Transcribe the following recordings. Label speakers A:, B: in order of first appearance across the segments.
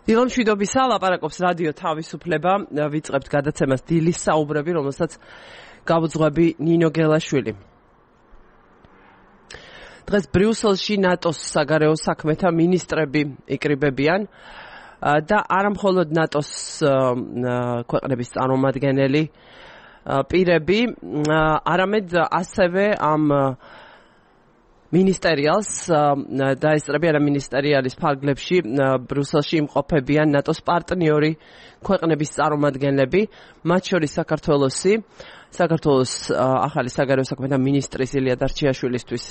A: დილო მშვიდობისა, ლაპარაკობს რადიო თავისუფლება, ვიწყებთ გადაცემას დილის საუბრები, რომელსაც გავუძღვები ნინო გელაშვილი. დღეს ბრიუსელში ნატოს საგარეო საქმეთა მინისტრები იკრიბებიან და არა მხოლოდ ნატოს ქვეყნების წარმომადგენელი პირები, არამედ ასევე ამ მინისტერიალს დაესწრებიან მინისტერიალის ფარგლებში ბრიუსელში იმყოფებიან ნატოს პარტნიორი ქვეყნების წარმომადგენლები, მათ შორის საქართველოს ახალი საგარეო საქმეთა მინისტრის ილია დარჩიაშვილისთვის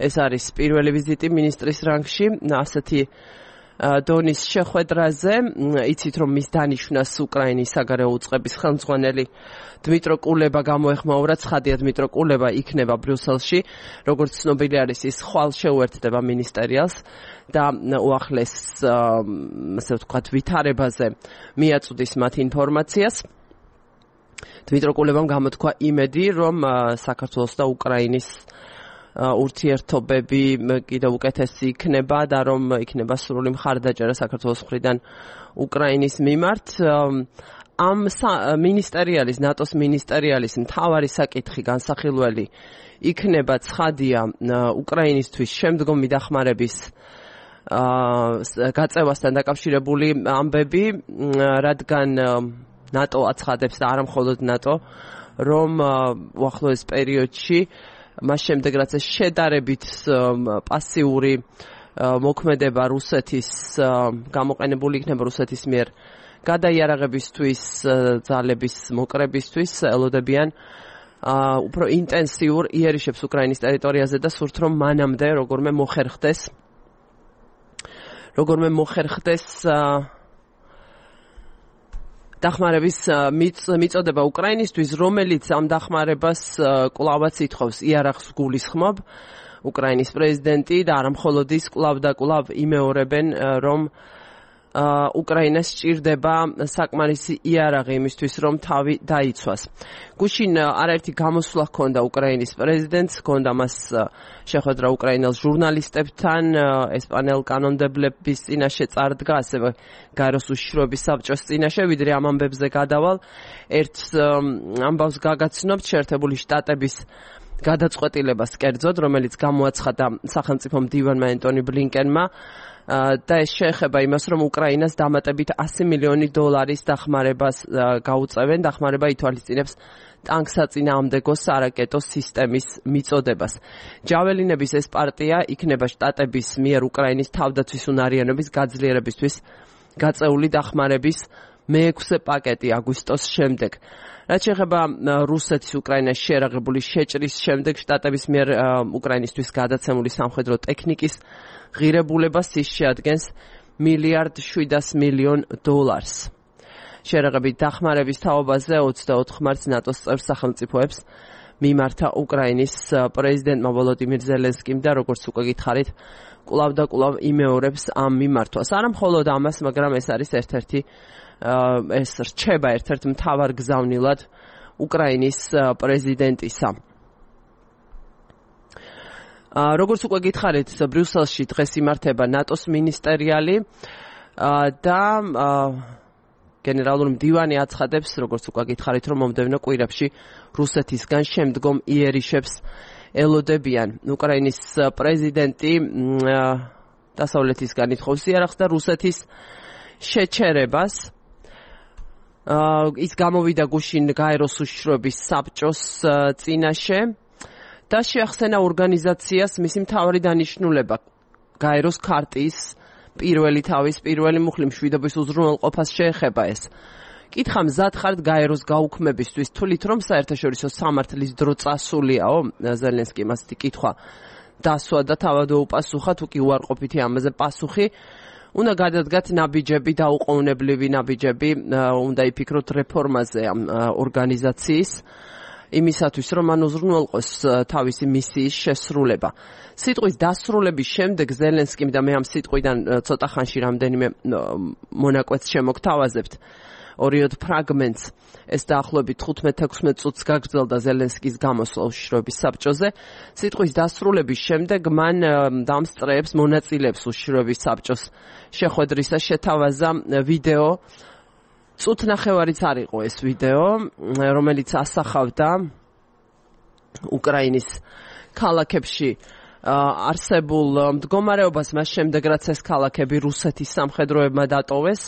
A: ეს არის პირველი ვიზიტი მინისტრის რანგში, ასეთი დონის შეხვედრაზე, იცით რომ მის დანიშვნას უკრაინის საგარეო უწყების ხელმძღვანელი დმიტრო კულება გამოეხმაურა, ცხადია დმიტრო კულება იქნება ბრიუსელში, როგორც ცნობილი არის ის ხვალ შეუერთდება მინისტერიალს და უახლეს ასე ვთქვათ ვითარებაზე მიაწვდის მათ ინფორმაციას. დმიტრო კულებამ გამოთქვა იმედი, რომ საქართველოს და უკრაინის ურთიერთობები კიდევ უკეთესი იქნება და რომ იქნება სრული მხარდაჭერა საქართველოს მხრიდან უკრაინის მიმართ. ამ მინისტერიალის, ნატოს მინისტერიალის მთავარი საკითხი განსახილველი იქნება ცხადია უკრაინისთვის შემდგომი დახმარების გაწევასთან დაკავშირებული ამბები, რადგან ნატო აცხადებს და არა მხოლოდ ნატო, რომ უახლოეს პერიოდში მას შემდეგ რაც შედარებით პასიური მოქმედება რუსეთის გამოყენებული იქნება რუსეთის მიერ გადაიარაღებისთვის, ძალების მოკრებისთვის, ელოდებიან უფრო ინტენსიურ იერიშებს უკრაინის ტერიტორიაზე და სურთ რომ მანამდე როგორმე მოხერხდეს დახმარების მიწოდება უკრაინისთვის, რომელიც ამ დახმარებას კვლავაც ითხოვს იარაღს გულისხმობ. უკრაინის პრეზიდენტი და არა მხოლოდ ის კვლავ იმეორებენ, რომ უკრაინას სჭირდება საკმარისი იარაღი იმისთვის, რომ თავი დაიცვას. გუშინ არაერთი გამოსვლა ჰქონდა უკრაინის პრეზიდენტს, ჰქონდა მას შეხვედრა უკრაინელ ჟურნალისტებთან, ესპანელ კანონმდებლების წინაშე წარდგა, ასევე გაეროს უშიშროების საბჭოს წინაშე, ვიდრე ამ ამბებზე გადავალ. ერთ ამბავს გაგაცნობთ შეერთებული შტატების გადაწყვეტილებას კერძოდ, რომელიც გამოაცხადა სახელმწიფო მდივანმა ენტონი ბლინკენმა და ეს შეეხება იმას, რომ უკრაინას დამატებით $100 მილიონი დახმარებას გაუწევენ. დახმარება ითვალისწინებს ტანკსაწინააღმდეგო სარაკეტო სისტემის მიწოდებას. ჯაველინების ეს პარტია იქნება შტატების მიერ უკრაინის თავდაცვის უნარიანობის გაძლიერებისთვის გაწეული დახმარების მე-6 პაკეტი აგვისტოს შემდეგ. რაც შეეხება რუსეთის უკრაინაში შეერაღებული შეჭრის შემდეგ შტატების მიერ უკრაინისთვის გადაცემული სამხედრო ტექნიკის ღირებულებას ის შეადგენს $1.7 მილიარდ. შეერაღებით დახმარების თაობაზე 24 მარტს ნატოს წევრ სახელმწიფოებს მიმართა უკრაინის პრეზიდენტმა ვოლოდიმირ ზელენსკიმ და როგორც უკვე გითხარით, კვლავ იმეორებს ამ მიმართვას. არა მხოლოდ ამას, მაგრამ ეს არის ეს რჩება ერთ-ერთ მთავარ გზავნილად უკრაინის პრეზიდენტისა. როგორც უკვე გითხარით, ბრიუსელში დღეს იმართება ნატოს მინისტერიალი და გენერალური მდივანი აცხადებს, როგორც უკვე გითხარით, რომ მომდევნო კვირებში რუსეთისგან შემდგომ იერიშებს ელოდებიან. უკრაინის პრეზიდენტი დასავლეთისგან ითხოვს იარაღს და რუსეთის შეჩერებას. ის გამოვიდა გუშინ გაეროს უშიშროების საბჭოს წინაშე და შეახსენა ორგანიზაციას მისი მთავარი დანიშნულება გაეროს ქარტიის პირველი მუხლი მშვიდობის უზრუნველყოფას შეეხება ეს. კითხა მზად ხართ გაეროს გაუქმებისთვის, თვლით რომ საერთაშორისო სამართლის დრო წასულიაო? ზელენსკიმ ასეთი კითხვა დასვა და თავად უპასუხა, თუ კი უარყოფითი ამაზე პასუხი. უნდა გადადგათ ნაბიჯები, დაუყოვნებლივი ნაბიჯები, უნდა იფიქროთ რეფორმაზე ამ ორგანიზაციის, იმისათვის, რომ მან უზრუნველყოს თავისი მისიის შესრულება. სიტყვის დასრულების შემდეგ ზელენსკიმ და მე ამ სიტყვიდან ცოტა ხანში რამდენიმე მონაკვეთს შემოგთავაზებთ. ორიოდ ფრაგმენტს ეს დაახლოებით 15-16 წუთს გაგრძელდა ზელენსკის გამოსვლა უშიშროების საბჭოზე. სიტყვის დასრულების შემდეგ მან დამსწრეებს მონაწილეებს უშიშროების საბჭოს შეხვედრისას შეთავაზა ვიდეო. წუთნახევარიც არ იყო ეს ვიდეო, რომელიც ასახავდა უკრაინის ქალაქებში არსებულ მდგომარეობას, მას შემდეგ რაც ეს ქალაქები რუსეთის სამხედროებმა დატოვეს.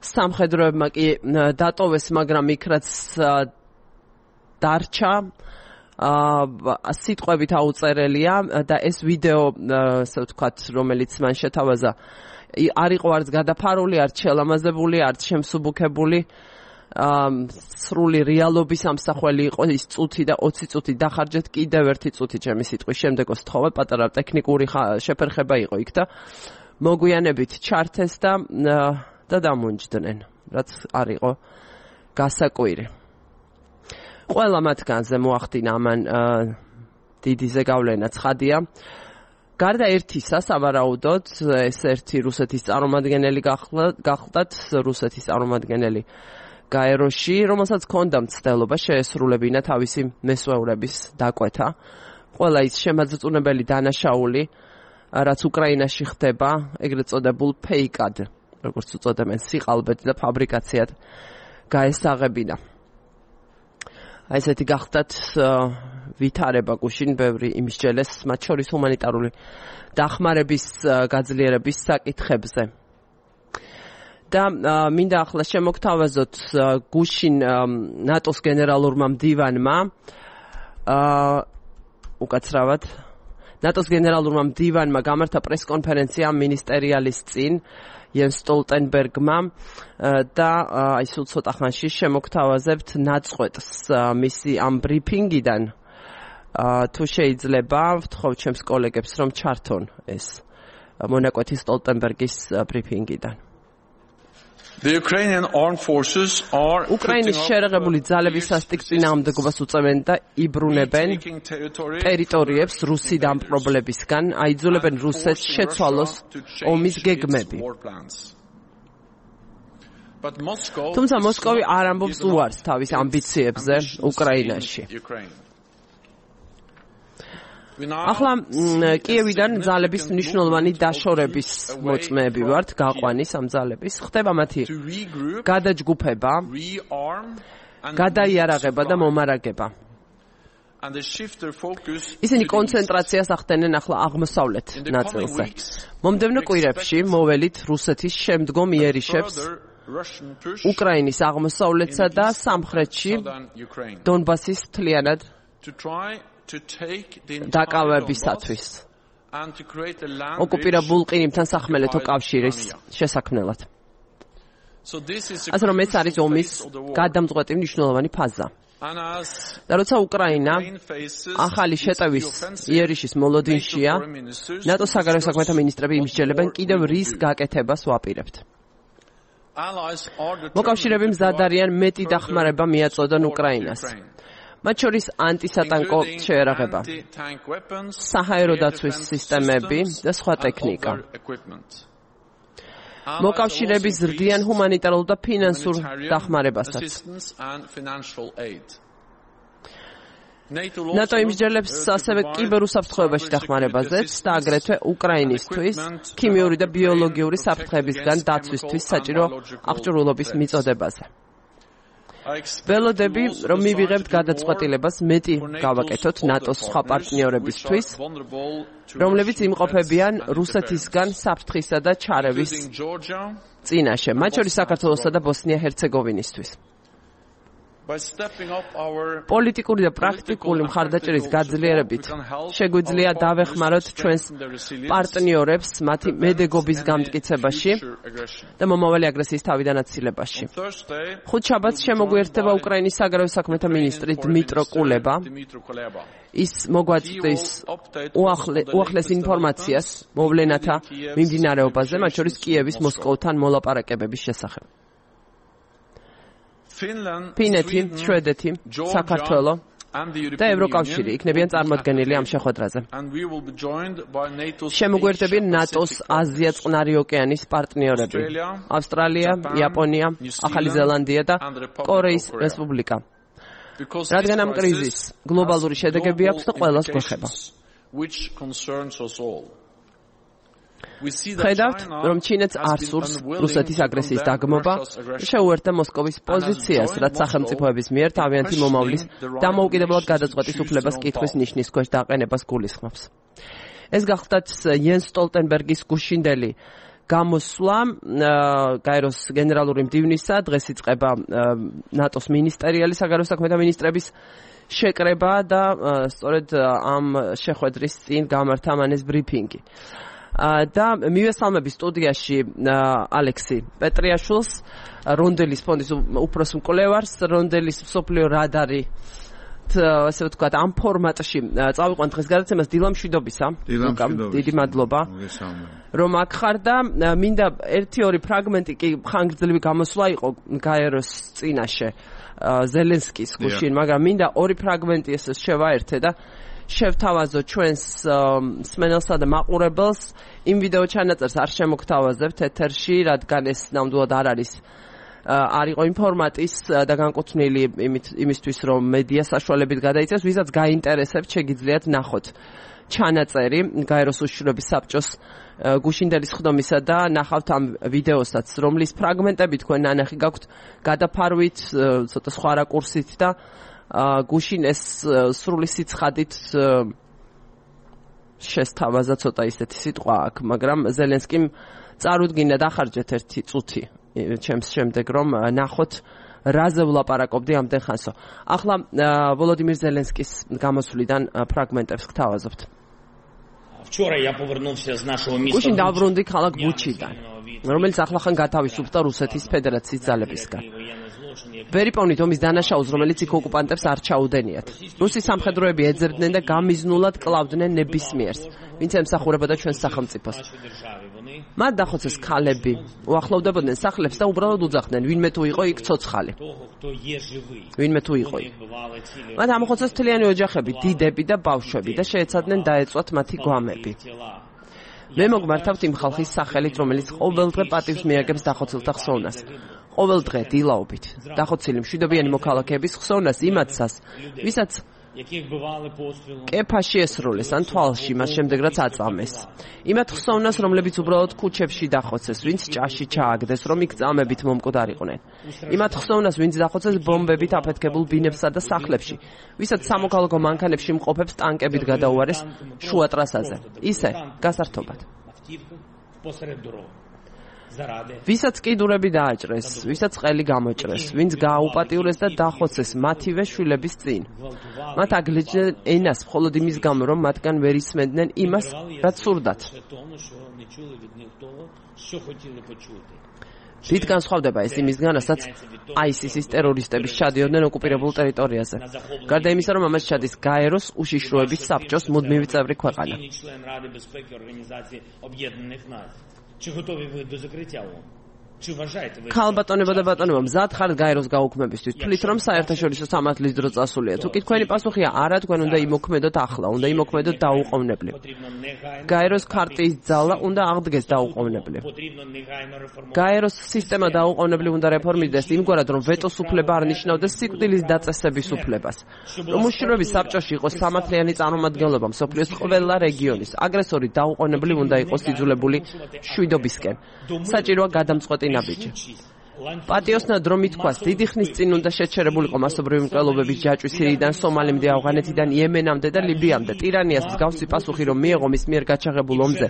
A: სამხედროებმა კი დატოვეს, მაგრამ იქ რაც დარჩა სიტყვებით აუწერელია და ეს ვიდეო, ასე ვთქვათ, რომელიც მან შეთავაზა, არ იყო არც გადაფარული, არც შელამაზებული, არც შემსუბუქებული. სრული რეალობის ამსახველი იყო ის წუთი და 20 წუთი დახარჯეთ კიდევ ერთი წუთი ჩემი სიტყვის შემდეგ ვთხოვე, პატარა ტექნიკური შეფერხება იყო იქ და მოგვიანებით ჩართეს და დამუნჯდნენ, რაც არ იყო გასაკვირი. ყველა მათგანზე მოახდინა ამან დიდი ზეგავლენა ცხადია. გარდა ერთისა, სავარაუდოდ, ეს ერთი რუსეთის წარმომადგენელი გახლდათ, რუსეთის წარმომადგენელი გაეროში, რომელსაც ჰქონდა მცდელობა შეესრულებინა თავისი მესვეურების დაკვეთა. ყველა ის შემაძწუნებელი დანაშაული, რაც უკრაინაში ხდება, ეგრეთ წოდებულ ფეიკად, როგორც უწოდებენ, სიყალბედ და ფაბრიკაციად გაესაღებინა. აი ესეთი გახლდათ ვითარება გუშინ ბევრი იმისჯელეს, მათ შორის ჰუმანიტარული დახმარების გაძლიერების საკითხებზე. და მინდა ახლა შემოგთავაზოთ გუშინ ნატოს გენერალურმა მდივანმა უკაცრავად ნატოს გენერალურმა მდივანმა გამართა პრესკონფერენცია მინისტერიალის წინ იენს სტოლტენბერგმა და აი სულ ცოტა ხანში შემოგთავაზებთ ნაწყვეტს მისი ამ ბრიფინგიდან თუ შეიძლება ვთხოვთ ჩემს კოლეგებს რომ ჩართონ ეს მონაკვეთი სტოლტენბერგის ბრიფინგიდან. უკრაინის შერეღებული ძალების სასტიკ წინააღმდეგობას უწევენ და იბრუნებენ ტერიტორიებს რუსი დამპყრობლებისგან, აიძულებენ რუსეთს შეცვალოს ომის გეგმები. თუმცა მოსკოვი არ ამბობს უარს თავის ამბიციებზე უკრაინაში. ახლა კიევიდან ძალების მნიშვნელოვანი დაშორების მოწმეები ვართ, გაყვანის ამ ძალების. ხდება მათი გადაჯგუფება, გადაიარაღება და მომარაგება. ისინი კონცენტრაციას ახდენენ ახლა აღმოსავლეთ ნაწილზე. მომდევნო კვირებში მოველით რუსეთის შემდგომ იერიშებს უკრაინის აღმოსავლეთსა და სამხრეთში დონბასის მთლიანად დაკავებისათვის ოკუპირებულ ყირიმთან სახმელეთო კავშირის შესაქმნელად. ასე რომ ეს არის ომის გადამწყვეტი მნიშვნელოვანი ფაზა. და როცა უკრაინა ახალი შეტევის იერიშის მოლოდინშია, ნატოს საგარეო საქმეთა მინისტრები იმსჯელებენ კიდევ რის გაკეთებას ვაპირებთ. მოკავშირეები მზად არიან მეტი დახმარება მიაწოდონ უკრაინას. მათ შორის ანტისატანკო შეერაღება, საჰაერო დაცვის სისტემები და სხვა ტექნიკა. მოკავშირეები ზრდიან ჰუმანიტარულ და ფინანსურ დახმარებასაც. ნატო იმსჯელებს ასევე კიბერუსაფრთხოებაში დახმარებაზეც და აგრეთვე უკრაინისთვის ქიმიური და ბიოლოგიური საფრთხეებისგან დაცვისთვის საჭირო აღჭურვილობის მიწოდებაზე. ველოდები, რომ მივიღებთ გადაწყვეტილებას მეტი გავაკეთოთ ნატოს სხვა პარტნიორებისთვის, რომლებიც იმყოფებიან რუსეთისგან საფრთხისა და ჩარევის წინაშე, მათ შორის საქართველოსა და ბოსნია-ჰერცეგოვინისთვის. პოლიტიკური და პრაქტიკული მხარდაჭერის გაძლიერებით შეგვიძლია დავეხმაროთ ჩვენს პარტნიორებს მათი მედეგობის გამტკიცებაში და მომავალი აგრესიის თავიდან აცილებაში. ხუთშაბათს შემოგვიერთდება უკრაინის საგარეო საქმეთა მინისტრი დმიტრო კულება. ის მოგვაწვდის უახლეს ინფორმაციას მოვლენათა მიმდინარეობაზე, მათ შორის კიევის მოსკოვთან მოლაპარაკებების შესახებ. ფინეთი, შვედეთი, საქართველო, და ევროკავშირი იქნებიან წარმოდგენილი ამ შეხვედრაზე. შემოგვერდებიან ნატოს აზია-წყნარი ოკეანის პარტნიორები: ავსტრალია, იაპონია, ახალი ზელანდია და კორეის რესპუბლიკა. რადგან ამ კრიზისს გლობალური შედეგები აქვს და ყველას გვეხება. ხედავთ, რომ ჩინეთს არ სურს რუსეთის აგრესიის დაგმობა, შეუერთდა მოსკოვის პოზიციას, რაც სახელმწიფოების მიერ თავიანთი მომავლის დამოუკიდებლად გადაწყვეტის უფლებას კითხვის ნიშნის ქვეშ დაყენებას გულისხმობს. ეს გახლდათ იენს სტოლტენბერგის გუშინდელი გამოსვლა გაეროს გენერალური მდივნისა, დღეს იწყება ნატოს მინისტერიალი საგარეო საქმეთა მინისტრების შეკრება და სწორედ ამ შეხვედრის წინ გამართა მანეს ბრიფინგი. და მივესალმები სტუდიაში ალექსი პეტრიაშვილს, რონდელის ფონდის უფროს მკვლევარს, რონდელის მსოფლიო რადარი, ასე ვთქვათ, ამ ფორმატში წავიყვან დღეს გადაცემას დილა მშვიდობისა. დიდი მადლობა. რომ აქ ხარ და მინდა 1-2 ფრაგმენტი კი ხანგრძლივი გამოსვლა იყო გაეროს წინაშე ზელენსკის გუშინ, მაგრამ მინდა 2 ფრაგმენტი ესე შევაერთე და შევთავაზო ჩვენს მსმენელსა და მაყურებელს. იმ ვიდეო ჩანაწერს არ შემოგთავაზებთ ეთერში, რადგან ეს ნამდვილად არ იყო იმ ფორმატის და განკუთვნილი იმისთვის, რომ მედია საშუალებით გადაიცეს, ვისაც გაინტერესებთ, შეგიძლიათ ნახოთ ჩანაწერი გაეროს უშიშროების საბჭოს გუშინდელის ხდომისა და ნახავთ ამ ვიდეოსაც, რომლის ფრაგმენტები თქვენ ნანახი გაქვთ გადაფარვით, ცოტა სხვა რაკურსით და გუშინ ეს სრული სიცხადით შესთავაზა ცოტა ისეთი სიტყვა აქ, მაგრამ ზელენსკიმ წარუდგინა დახარჯეთ 1 წუთი ჩემს შემდეგ, რომ ნახოთ რაზე ვლაპარაკობდი ამდენ ხანსო. ახლა ვოლოდიმირ ზელენსკის გამოსვლიდან ფრაგმენტებს გთავაზობთ. გუშინ დავბრუნდი ქალაქ ბუჩიდან, რომელიც ახლახან გათავისუფლდა რუსეთის ფედერაციის ძალებისგან. ვერიპოვნით ომის დანაშაულს, რომელიც იქ ოკუპანტებს არ ჩაუდენიათ. რუსის სამხედროები ეძებდნენ და გამიზნულად კლავდნენ ნებისმიერს, ვინც ემსახურებოდა ჩვენს სახელმწიფოს. მათ დახოცეს ქალები, უახლოვდებოდნენ სახლებს და უბრალოდ უძახდნენ, ვინმე თუ იყო იქ ცოცხალი. ვინმე თუ იყო იქ. მათ ამოხოცეს მთლიანი ოჯახები, დიდები და ბავშვები და შეეცადნენ დაეწვათ მათი გვამები. მე მოგმართავთ იმ ხალხის სახელით, რომელიც ყოველდღე პატივს მიაგებს დახოცილთა ხსოვნას. ყოველდღე დილაობით დახოცილი მშვიდობიანი მოქალაქეების ხსოვნას იმათსას, ვისაც კეფაში ესროლეს ან თვალში, მას შემდეგ რაც აწამეს. იმათ ხსოვნას, რომლებიც უბრალოდ ქუჩებში დახოცეს, ვინც ჭაში ჩააგდეს, რომ იქ წამებით მომკვდარიყვნენ. იმათ ხსოვნას, ვინც დახოცეს ბომბებით აფეთქებულ ბინებსა და სახლებში, ვისაც სამოქალაქო მანქანებში მყოფებს ტანკებით გადაუარეს შუა ტრასაზე. ისე გასართობად. ვისაც კიდურები დააჭრეს, ვისაც ყელი გამოჭრეს, ვინც გააუპატიურეს და დახოცეს მათივე შვილების წინ. მათ აგლეჯდნენ ენას მხოლოდ იმის გამო, რომ მათგან ვერ ისმენდნენ იმას, რაც სურდათ. დიდ განსხვავდება ეს იმისგან, რასაც ISIS-ის ტერორისტების ჩადიოდნენ ოკუპირებულ ტერიტორიაზე. გარდა იმისა, რომ ამას ჩადის გაეროს უშიშროების საბჭოს მუდმივი წევრი ქვეყანა. ქალბატონებო და ბატონებო, მზად ხართ გაეროს გაუქმებისთვის? თვლით, რომ საერთაშორისო სამართლის დრო წასულია? თუ კი თქვენი პასუხია არა, თქვენ უნდა იმოქმედოთ ახლა, უნდა იმოქმედოთ დაუყოვნებლივ. გაეროს ქარტიის ძალა უნდა აღდგეს დაუყოვნებლივ. გაეროს სისტემა დაუყოვნებლივ უნდა რეფორმირდეს იმგვარად, რომ ვეტოს უფლება არ ნიშნავდეს სიკვდილის დაწესების უფლებას. რომ უშიშროების საბჭოში იყოს სამართლიანი წარმომადგენლობა მსოფლიოს ყველა რეგიონის. აგრესორი დაუყოვნებლივ უნდა იყოს იძულებული შვიდობისკენ. საჭიროა გადამწყვეტი ნაბიჯი. პატიოსნად რომ ითქვას, დიდი ხნის წინ უნდა შეჩერებულიყო მასობრივი მკვლელობების ჯაჭვი სირიიდან, სომალიმდე, ავღანეთიდან, იემენამდე და ლიბიამდე. ტირანიას მსგავსი პასუხი რომ მიეღო მის მიერ გაჩაღებულ ომზე,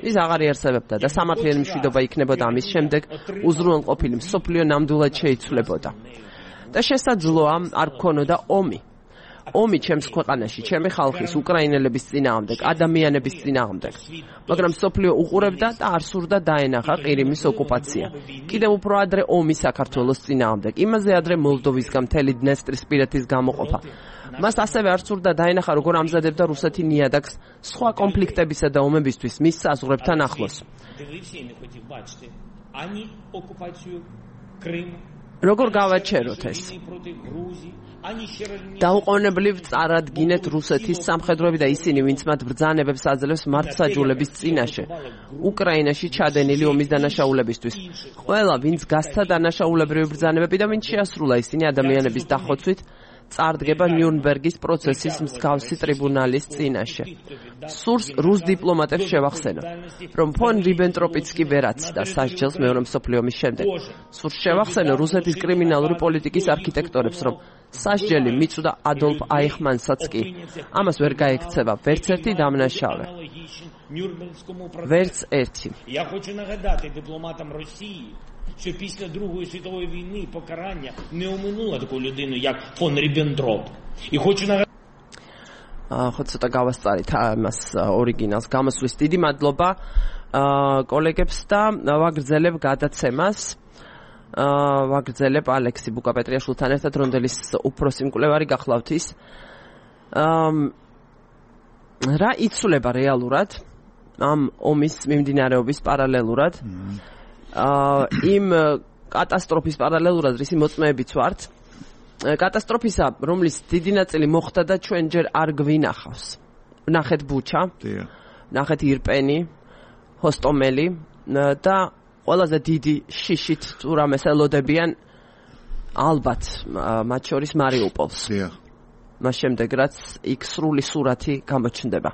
A: ის აღარ იარსებებდა და სამართლიანი მშვიდობა იქნებოდა ამის შემდეგ უზრუნველყოფილი მსოფლიო ნამდვილად შეიცვლებოდა. და შესაძლოა არ გქონოდა ომი. ომი ჩემს ქვეყანაში, ჩემი ხალხის, უკრაინელების წინააღმდეგ, ადამიანების წინააღმდეგ. მაგრამ მსოფლიო უყურებდა და არ სურდა დაენახა ყირიმის ოკუპაცია. კიდევ უფრო ადრე ომი საქართველოს წინააღმდეგ. იმაზე ადრე მოლდოვისგან მთელი დნესტრისპირეთის გამოყოფა. მას ასევე არ სურდა დაენახა, როგორ ამზადებდა რუსეთი ნიადაგს სხვა კონფლიქტებისა და ომებისთვის მის საზღვრებთან ახლოს. როგორ გავაჩეროთ ეს? დაუყოვნებლივ წარადგინეთ რუსეთის სამხედროები და ისინი, ვინც მათ ბრძანებებს აძლევს მართლმსაჯულების წინაშე, უკრაინაში ჩადენილი ომის დანაშაულებისთვის. ყველა, ვინც გასცა დანაშაულებრივი ბრძანებები და ვინც შეასრულა ისინი ადამიანების დახოცვით, წარდგება ნიურნბერგის პროცესის მსგავსი ტრიბუნალის წინაშე. სურს რუს დიპლომატებს შევახსენო, რომ ფონ რიბენტროპიც კი ვერ აცდა სასჯელს მეორე მსოფლიო ომის შემდეგ. სურს შევახსენო რუსეთის კრიმინალური პოლიტიკის არქიტექტორებს, რომ სასჯელი მიწვდა ადოლფ აიხმანსაც კი. ამას ვერ გაექცევა ვერც ერთი დამნაშავე. Вертс ერთი.
B: Я хочу нагадати дипломатам Росії, що після Другої світової війни покарання не оминуло таку людину, як фон Ріббентроп. І хочу нагадати
A: ხო ცოტა გავასწარით ამას ორიგინალს გამოსვლის დიდი მადლობა კოლეგებს და ვაგრძელებ გადაცემას ვაგრძელებ ალექსი ბუკაპეტრიაშვილთან ერთად რონდელის უფროსი მკვლევარი გახლავთ ის რა იცვლება რეალურად ამ ომის მიმდინარეობის პარალელურად იმ კატასტროფის პარალელურად რისი მოწმეებიც ვართ კატასტროფისა რომლის დიდი ნაწილი მოხდა და ჩვენ ჯერ არ გვინახავს ნახეთ ბუჩა ნახეთ ირპენი ჰოსტომელი და ყველაზე დიდი შიშით თუ რამეს ელოდებიან ალბათ მათ შორის მარიუპოლს მას შემდეგ რაც იქ სრული სურათი გამოჩნდება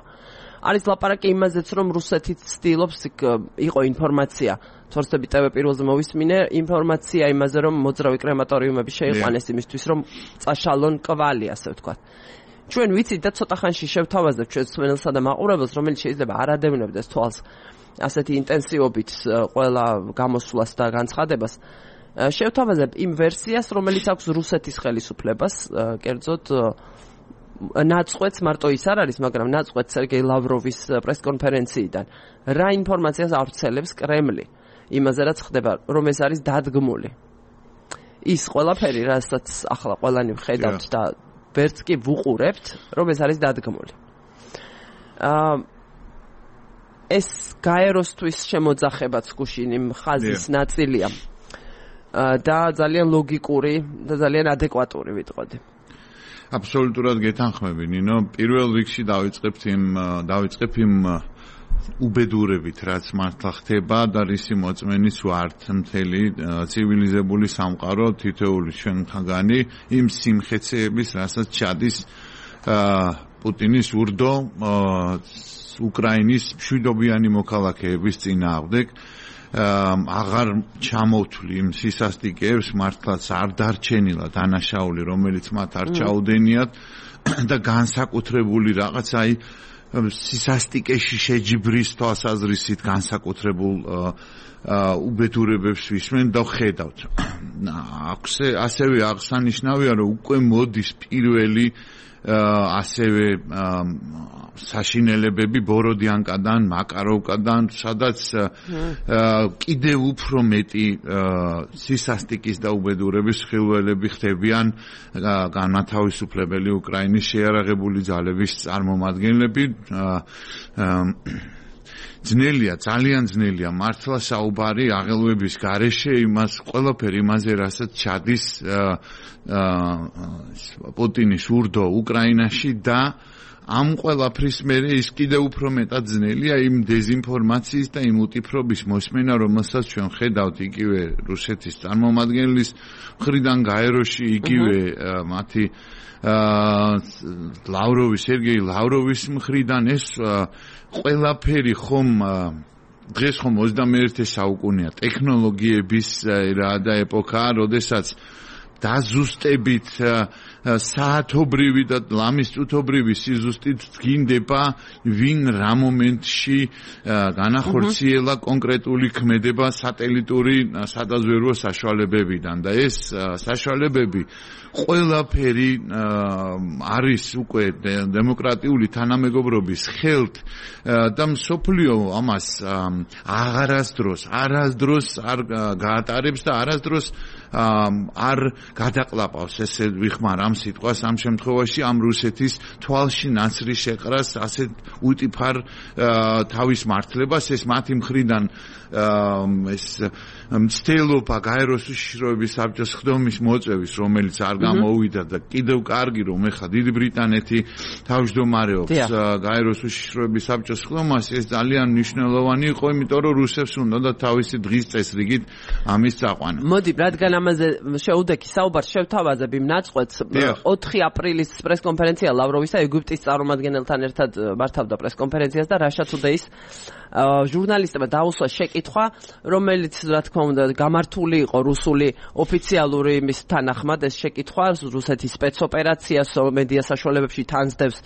A: არის ლაპარაკი იმაზეც რომ რუსეთი ცდილობს იყო ინფორმაცია თორსები TV პირველზე მოვისმინე ინფორმაცია იმაზე რომ მოძრავი კრემატორიუმები შეიყვანეს იმისთვის რომ წაშალონ კვალი ასე ვთქვათ ჩვენ ვიცით და ცოტა ხანში შევთავაზებთ ჩვენ სვენელსა და მაყურებელს რომელიც შეიძლება არ ადევნებდეს თვალს ასეთი ინტენსივობით ყველა გამოსვლას და განცხადებას შევთავაზებთ იმ ვერსიას რომელიც აქვს რუსეთის ხელისუფლებას კერძოდ ნაწყვეტს მარტო ის არ არის მაგრამ ნაწყვეტს სერგეი ლავროვის პრესკონფერენციიდან რა ინფორმაციას ავრცელებს კრემლი იმაზე რაც ხდება რომ ეს არის დადგმული ის ყველაფერი რასაც ახლა ყველანი ვხედავთ და ვერც კი ვუყურებთ რომ ეს არის დადგმული ეს გაეროსთვის შემოძახებაც გუშინ იმ ხაზის ნაწილია და ძალიან ლოგიკური და ძალიან ადეკვატური ვიტყოდი
C: აბსოლუტურად გეთანხმები ნინო პირველ რიგში დავიწყებ იმ უბედურებით რაც მართლა ხდება და რისი მოწმენის ვართ მთელი ცივილიზებული სამყარო თითოეული ჩვენთაგანი იმ სიმხეცეების რასაც ჩადის პუტინის ურდო უკრაინის მშვიდობიანი მოქალაქეების წინააღმდეგ აღარ ჩამოვთვლი იმ სისასტიკეებს მართლაც არ დარჩენილა დანაშაული რომელიც მათ არ ჩაუდენიათ და განსაკუთრებული რაღაც აი სისასტიკეში შეჯიბრის თვალსაზრისით განსაკუთრებულ უბედურებებს ვისმენ და ხედავთ ასევე აღსანიშნავია რომ უკვე მოდის პირველი ასევე საშინელებები ბოროდიანკადან, მაკაროვკადან, სადაც კიდევ უფრო მეტი სისასტიკის და უბედურების ხილველები ხდებიან განმათავისუფლებელი უკრაინის შეიარაღებული ძალების წარმომადგენლები ძნელია, ძალიან ძნელია მართლა საუბარი აღელვების გარეშე იმას ყველაფერი იმაზე რასაც ჩადის პუტინის ურდო უკრაინაში და ამ ყველაფრის მერე ის კიდევ უფრო მეტად ძნელია იმ დეზინფორმაციის და იმ უტიფრობის მოსმენა რომელსაც ჩვენ ხედავთ იგივე რუსეთის წარმომადგენლის მხრიდან გაეროში იგივე მათი სერგეი ლავროვის მხრიდან ეს ყველაფერი ხომ დღეს ხომ 21 საუკუნეა ტექნოლოგიების რა და ეპოქაა როდესაც დაზუსტებით საათობრივი და ლამის წუთობრივი სიზუსტით გინდება ვინ რა მომენტში განახორციელა კონკრეტული ქმედება სატელიტური სადაზვერვო საშუალებებიდან და ეს საშუალებები ყველაფერი არის უკვე დემოკრატიული თანამეგობრობის ხელთ და მსოფლიო ამას არასდროს არ გაატარებს და არასდროს არ გადაყლაპავს ესე ვიხმარ ამ სიტყვას ამ შემთხვევაში ამ რუსეთის თვალში ნაცრი შეყრას ასე უტიფარ თავის მართლებას ეს მათი მხრიდან ეს მცდელობა გაეროს უშიშროების საბჭოს ხდომის მოწვევის რომელიც არ გამოუვიდა და კიდევ კარგი რომ ეხა დიდი ბრიტანეთი თავმჯდომარეობს გაეროს უშიშროების საბჭოს ხდომას ეს ძალიან მნიშვნელოვანი იყო იმიტომ რომ რუსებს უნდა თავისი დღის წესრიგით ამის წაყვანა.
A: მოდი, რადგან ამაზე შეუდექი საუბარს შევთავაზებ იმ ნაწყვეტს 4 აპრილის პრესკონფერენცია ლავროვისა ეგვიპტის წარმომადგენელთან ერთად მართავდა პრესკონფერენციას და Russia Today-ს ჟურნალისტებმა დაუსვა შეკითხვა, რომელიც რა თქმა უნდა გამართული იყო რუსული ოფიციალური იმის თანახმად ეს შეკითხვა რუსეთის სპეცოპერაცია მედია საშუალებებში თანსდევს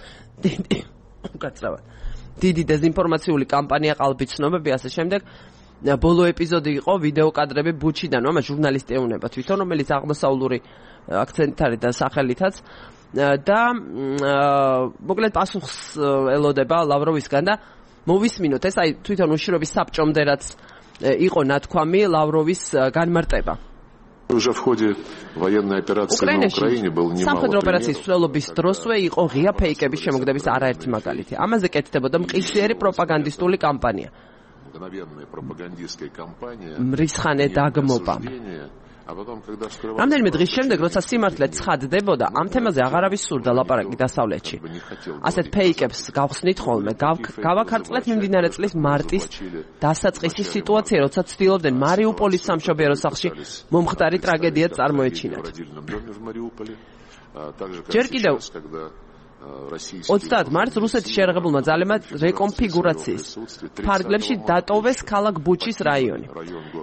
A: დიდი დეზინფორმაციული კამპანია ყალბი ცნობები ასე შემდეგ ბოლო ეპიზოდი იყო ვიდეო კადრები ბუჩიდან ამას ჟურნალისტი ეუნება თვითონ რომელიც აღმოსავლური აქცენტით არის და სახელითაც და მოკლედ პასუხს ელოდება ლავროვისგან და მოვისმინოთ ეს აი თვითონ უშიშროების საბჭომდე რაც იყო ნათქვამი ლავროვის განმარტება
D: Уже в ходе военной операции на Украине был немало
A: სამხედრო ოპერაციის მსვლელობის დროსვე იყო ღია ფეიკების შემოგდების არაერთი მაგალითი. ამაზე კეთდებოდა მყისიერი პროპაგანდისტული კამპანია.
D: Мгновенная пропагандистская кампания.
A: მრისხანე დაგმობა. რამდენიმე დღის შემდეგ, როცა სიმართლე ცხადდებოდა, ამ თემაზე აღარავის სურდა ლაპარაკი დასავლეთში. ასეთ ფეიკებს გავხსნით ხოლმე, გავაქარწყლეთ მიმდინარე წლის მარტის დასაწყისის სიტუაცია, როცა ცდილობდნენ მარიუპოლის სამშობიარო სახლში მომხდარი ტრაგედია წარმოეჩინათ. ჯერ კიდევ 30 მარტს რუსეთის შეერაღებულმა ძალებმა რეკონფიგურაციის ფარგლებში დატოვეს ქალაქ ბუჩის რაიონი.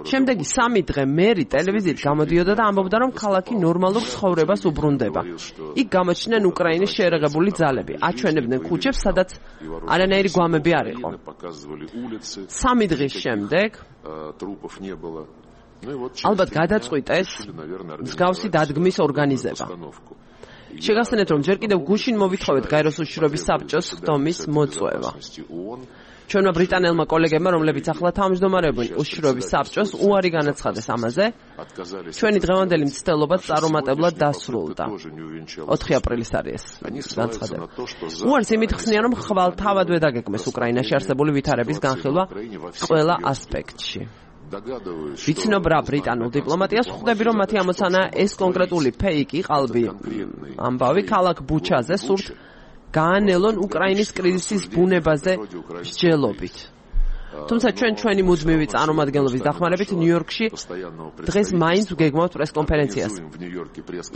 A: შემდეგი 3 დღე მერი ტელევიზიით გამოდიოდა და ამბობდა, რომ ქალაქი ნორმალურ ცხოვრებას უბრუნდება. იქ გამოჩნდნენ უკრაინის შეერაღებული ძალები, აჩვენებდნენ ქუჩებს, სადაც არანაირი გვამები არ იყო. 3 დღის შემდეგ ალბათ გადაწყვიტეს მსგავსი დადგმის ორგანიზება. შეგახსენეთ, რომ ჯერ კიდევ გუშინ მოვითხოვეთ გაეროს უშიშროების საბჭოს ხდომის მოწვევა. ჩვენმა ბრიტანელმა კოლეგებმა, რომლებიც ახლა თავმჯდომარეობენ უშიშროების საბჭოს, უარი განაცხადეს ამაზე. ჩვენი დღევანდელი მცდელობაც წარუმატებლად დასრულდა. 4 აპრილის არის ეს განცხადება. უარს იმით ხსნიან, რომ ხვალთავადვე დაგეგმეს უკრაინაში არსებული ვითარების განხილვა ყველა ასპექტში. ვიცნობ რა ბრიტანულ დიპლომატიას ხვდები რომ მათი ამოცანა ეს კონკრეტული ფეიკი ყალბი ამბავი ქალაქ ბუჩაზე სურთ გაანელონ უკრაინის კრიზისის ბუნებაზე მსჯელობით. თუმცა ჩვენი მუდმივი წარმომადგენლობის დახმარებით ნიუ-იორკში დღეს მაინც ვგეგმავთ პრესკონფერენციას.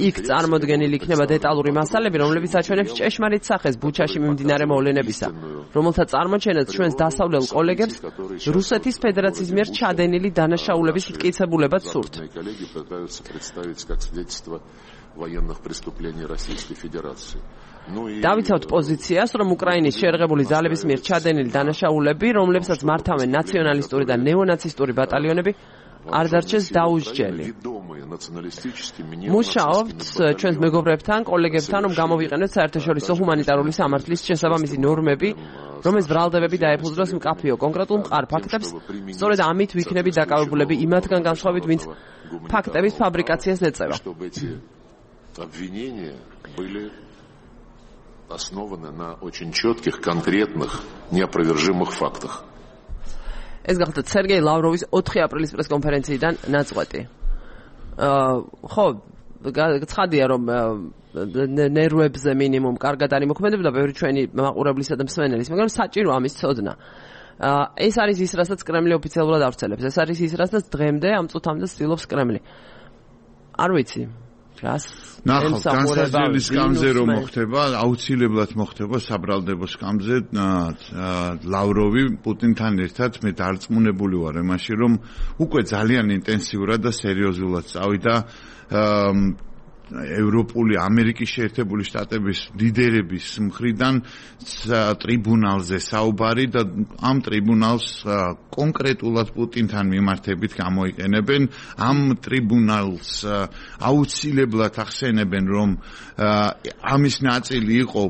A: იქ წარმოდგენილი იქნება დეტალური მასალები, რომლებიც აჩვენებს ჭეშმარიტ სახეს ბუჩაში მიმდინარე მოვლენებისა, რომელთა წარმოჩენაც ჩვენს დასავლელ კოლეგებს რუსეთის ფედერაციის მიერ ჩადენილი დანაშაულების მტკიცებულებად სურთ. დავიცავთ პოზიციას, რომ უკრაინის შეერაღებული ძალების მიერ ჩადენილი დანაშაულები, რომლებსაც მართავენ ნაციონალისტური და ნეონაცისტური ბატალიონები, არ დარჩეს დაუსჯელი. მუშაობთ ჩვენს მეგობრებთან, კოლეგებთან, რომ გამოვიყენოთ საერთაშორისო ჰუმანიტარული სამართლის შესაბამისი ნორმები, რომელიც ბრალდებები დაეფუძნოს მკაფიო კონკრეტულ მყარ ფაქტებს, სწორედ ამით ვიქნებით დაკავებულები იმათგან განსხვავებით, ვინც ფაქტების ფაბრიკაციას ეწევა.
D: основаны на очень четких, конкретных, неопровержимых фактах.
A: ეს გახლდათ სერგეი ლავროვის 4 აპრილის პრესკონფერენციიდან ნაწყვეტი. ხო, ცხადია რომ ნერვებზე მინიმუმ კარგად არის მოქმედებდა ბევრი ჩვენი მაყურებლისა და მსმენელის, მაგრამ საჭირო ამის ცოდნა. ეს არის ის, რასაც კრემლი ოფიციალურად ავრცელებს. ეს არის ის, რასაც დღემდე ამ წუთამდე ცდილობს კრემლი. არ ვიცი.
C: ნახავთ, განსაზღვრელი სკამზე რომ მოხდება, აუცილებლად მოხდება საბრალდებო სკამზე ლავროვი პუტინთან ერთად მე დარწმუნებული ვარ იმაში, რომ უკვე ძალიან ინტენსიურად და სერიოზულად წავიდა ევროპული ამერიკის შეერთებული შტატების ლიდერების მხრიდან ტრიბუნალზე საუბარი და ამ ტრიბუნალს კონკრეტულად პუტინთან მიმართებით გამოიყენებენ. ამ ტრიბუნალს აუცილებლად ახსენებენ, რომ ამის ნაწილი იყო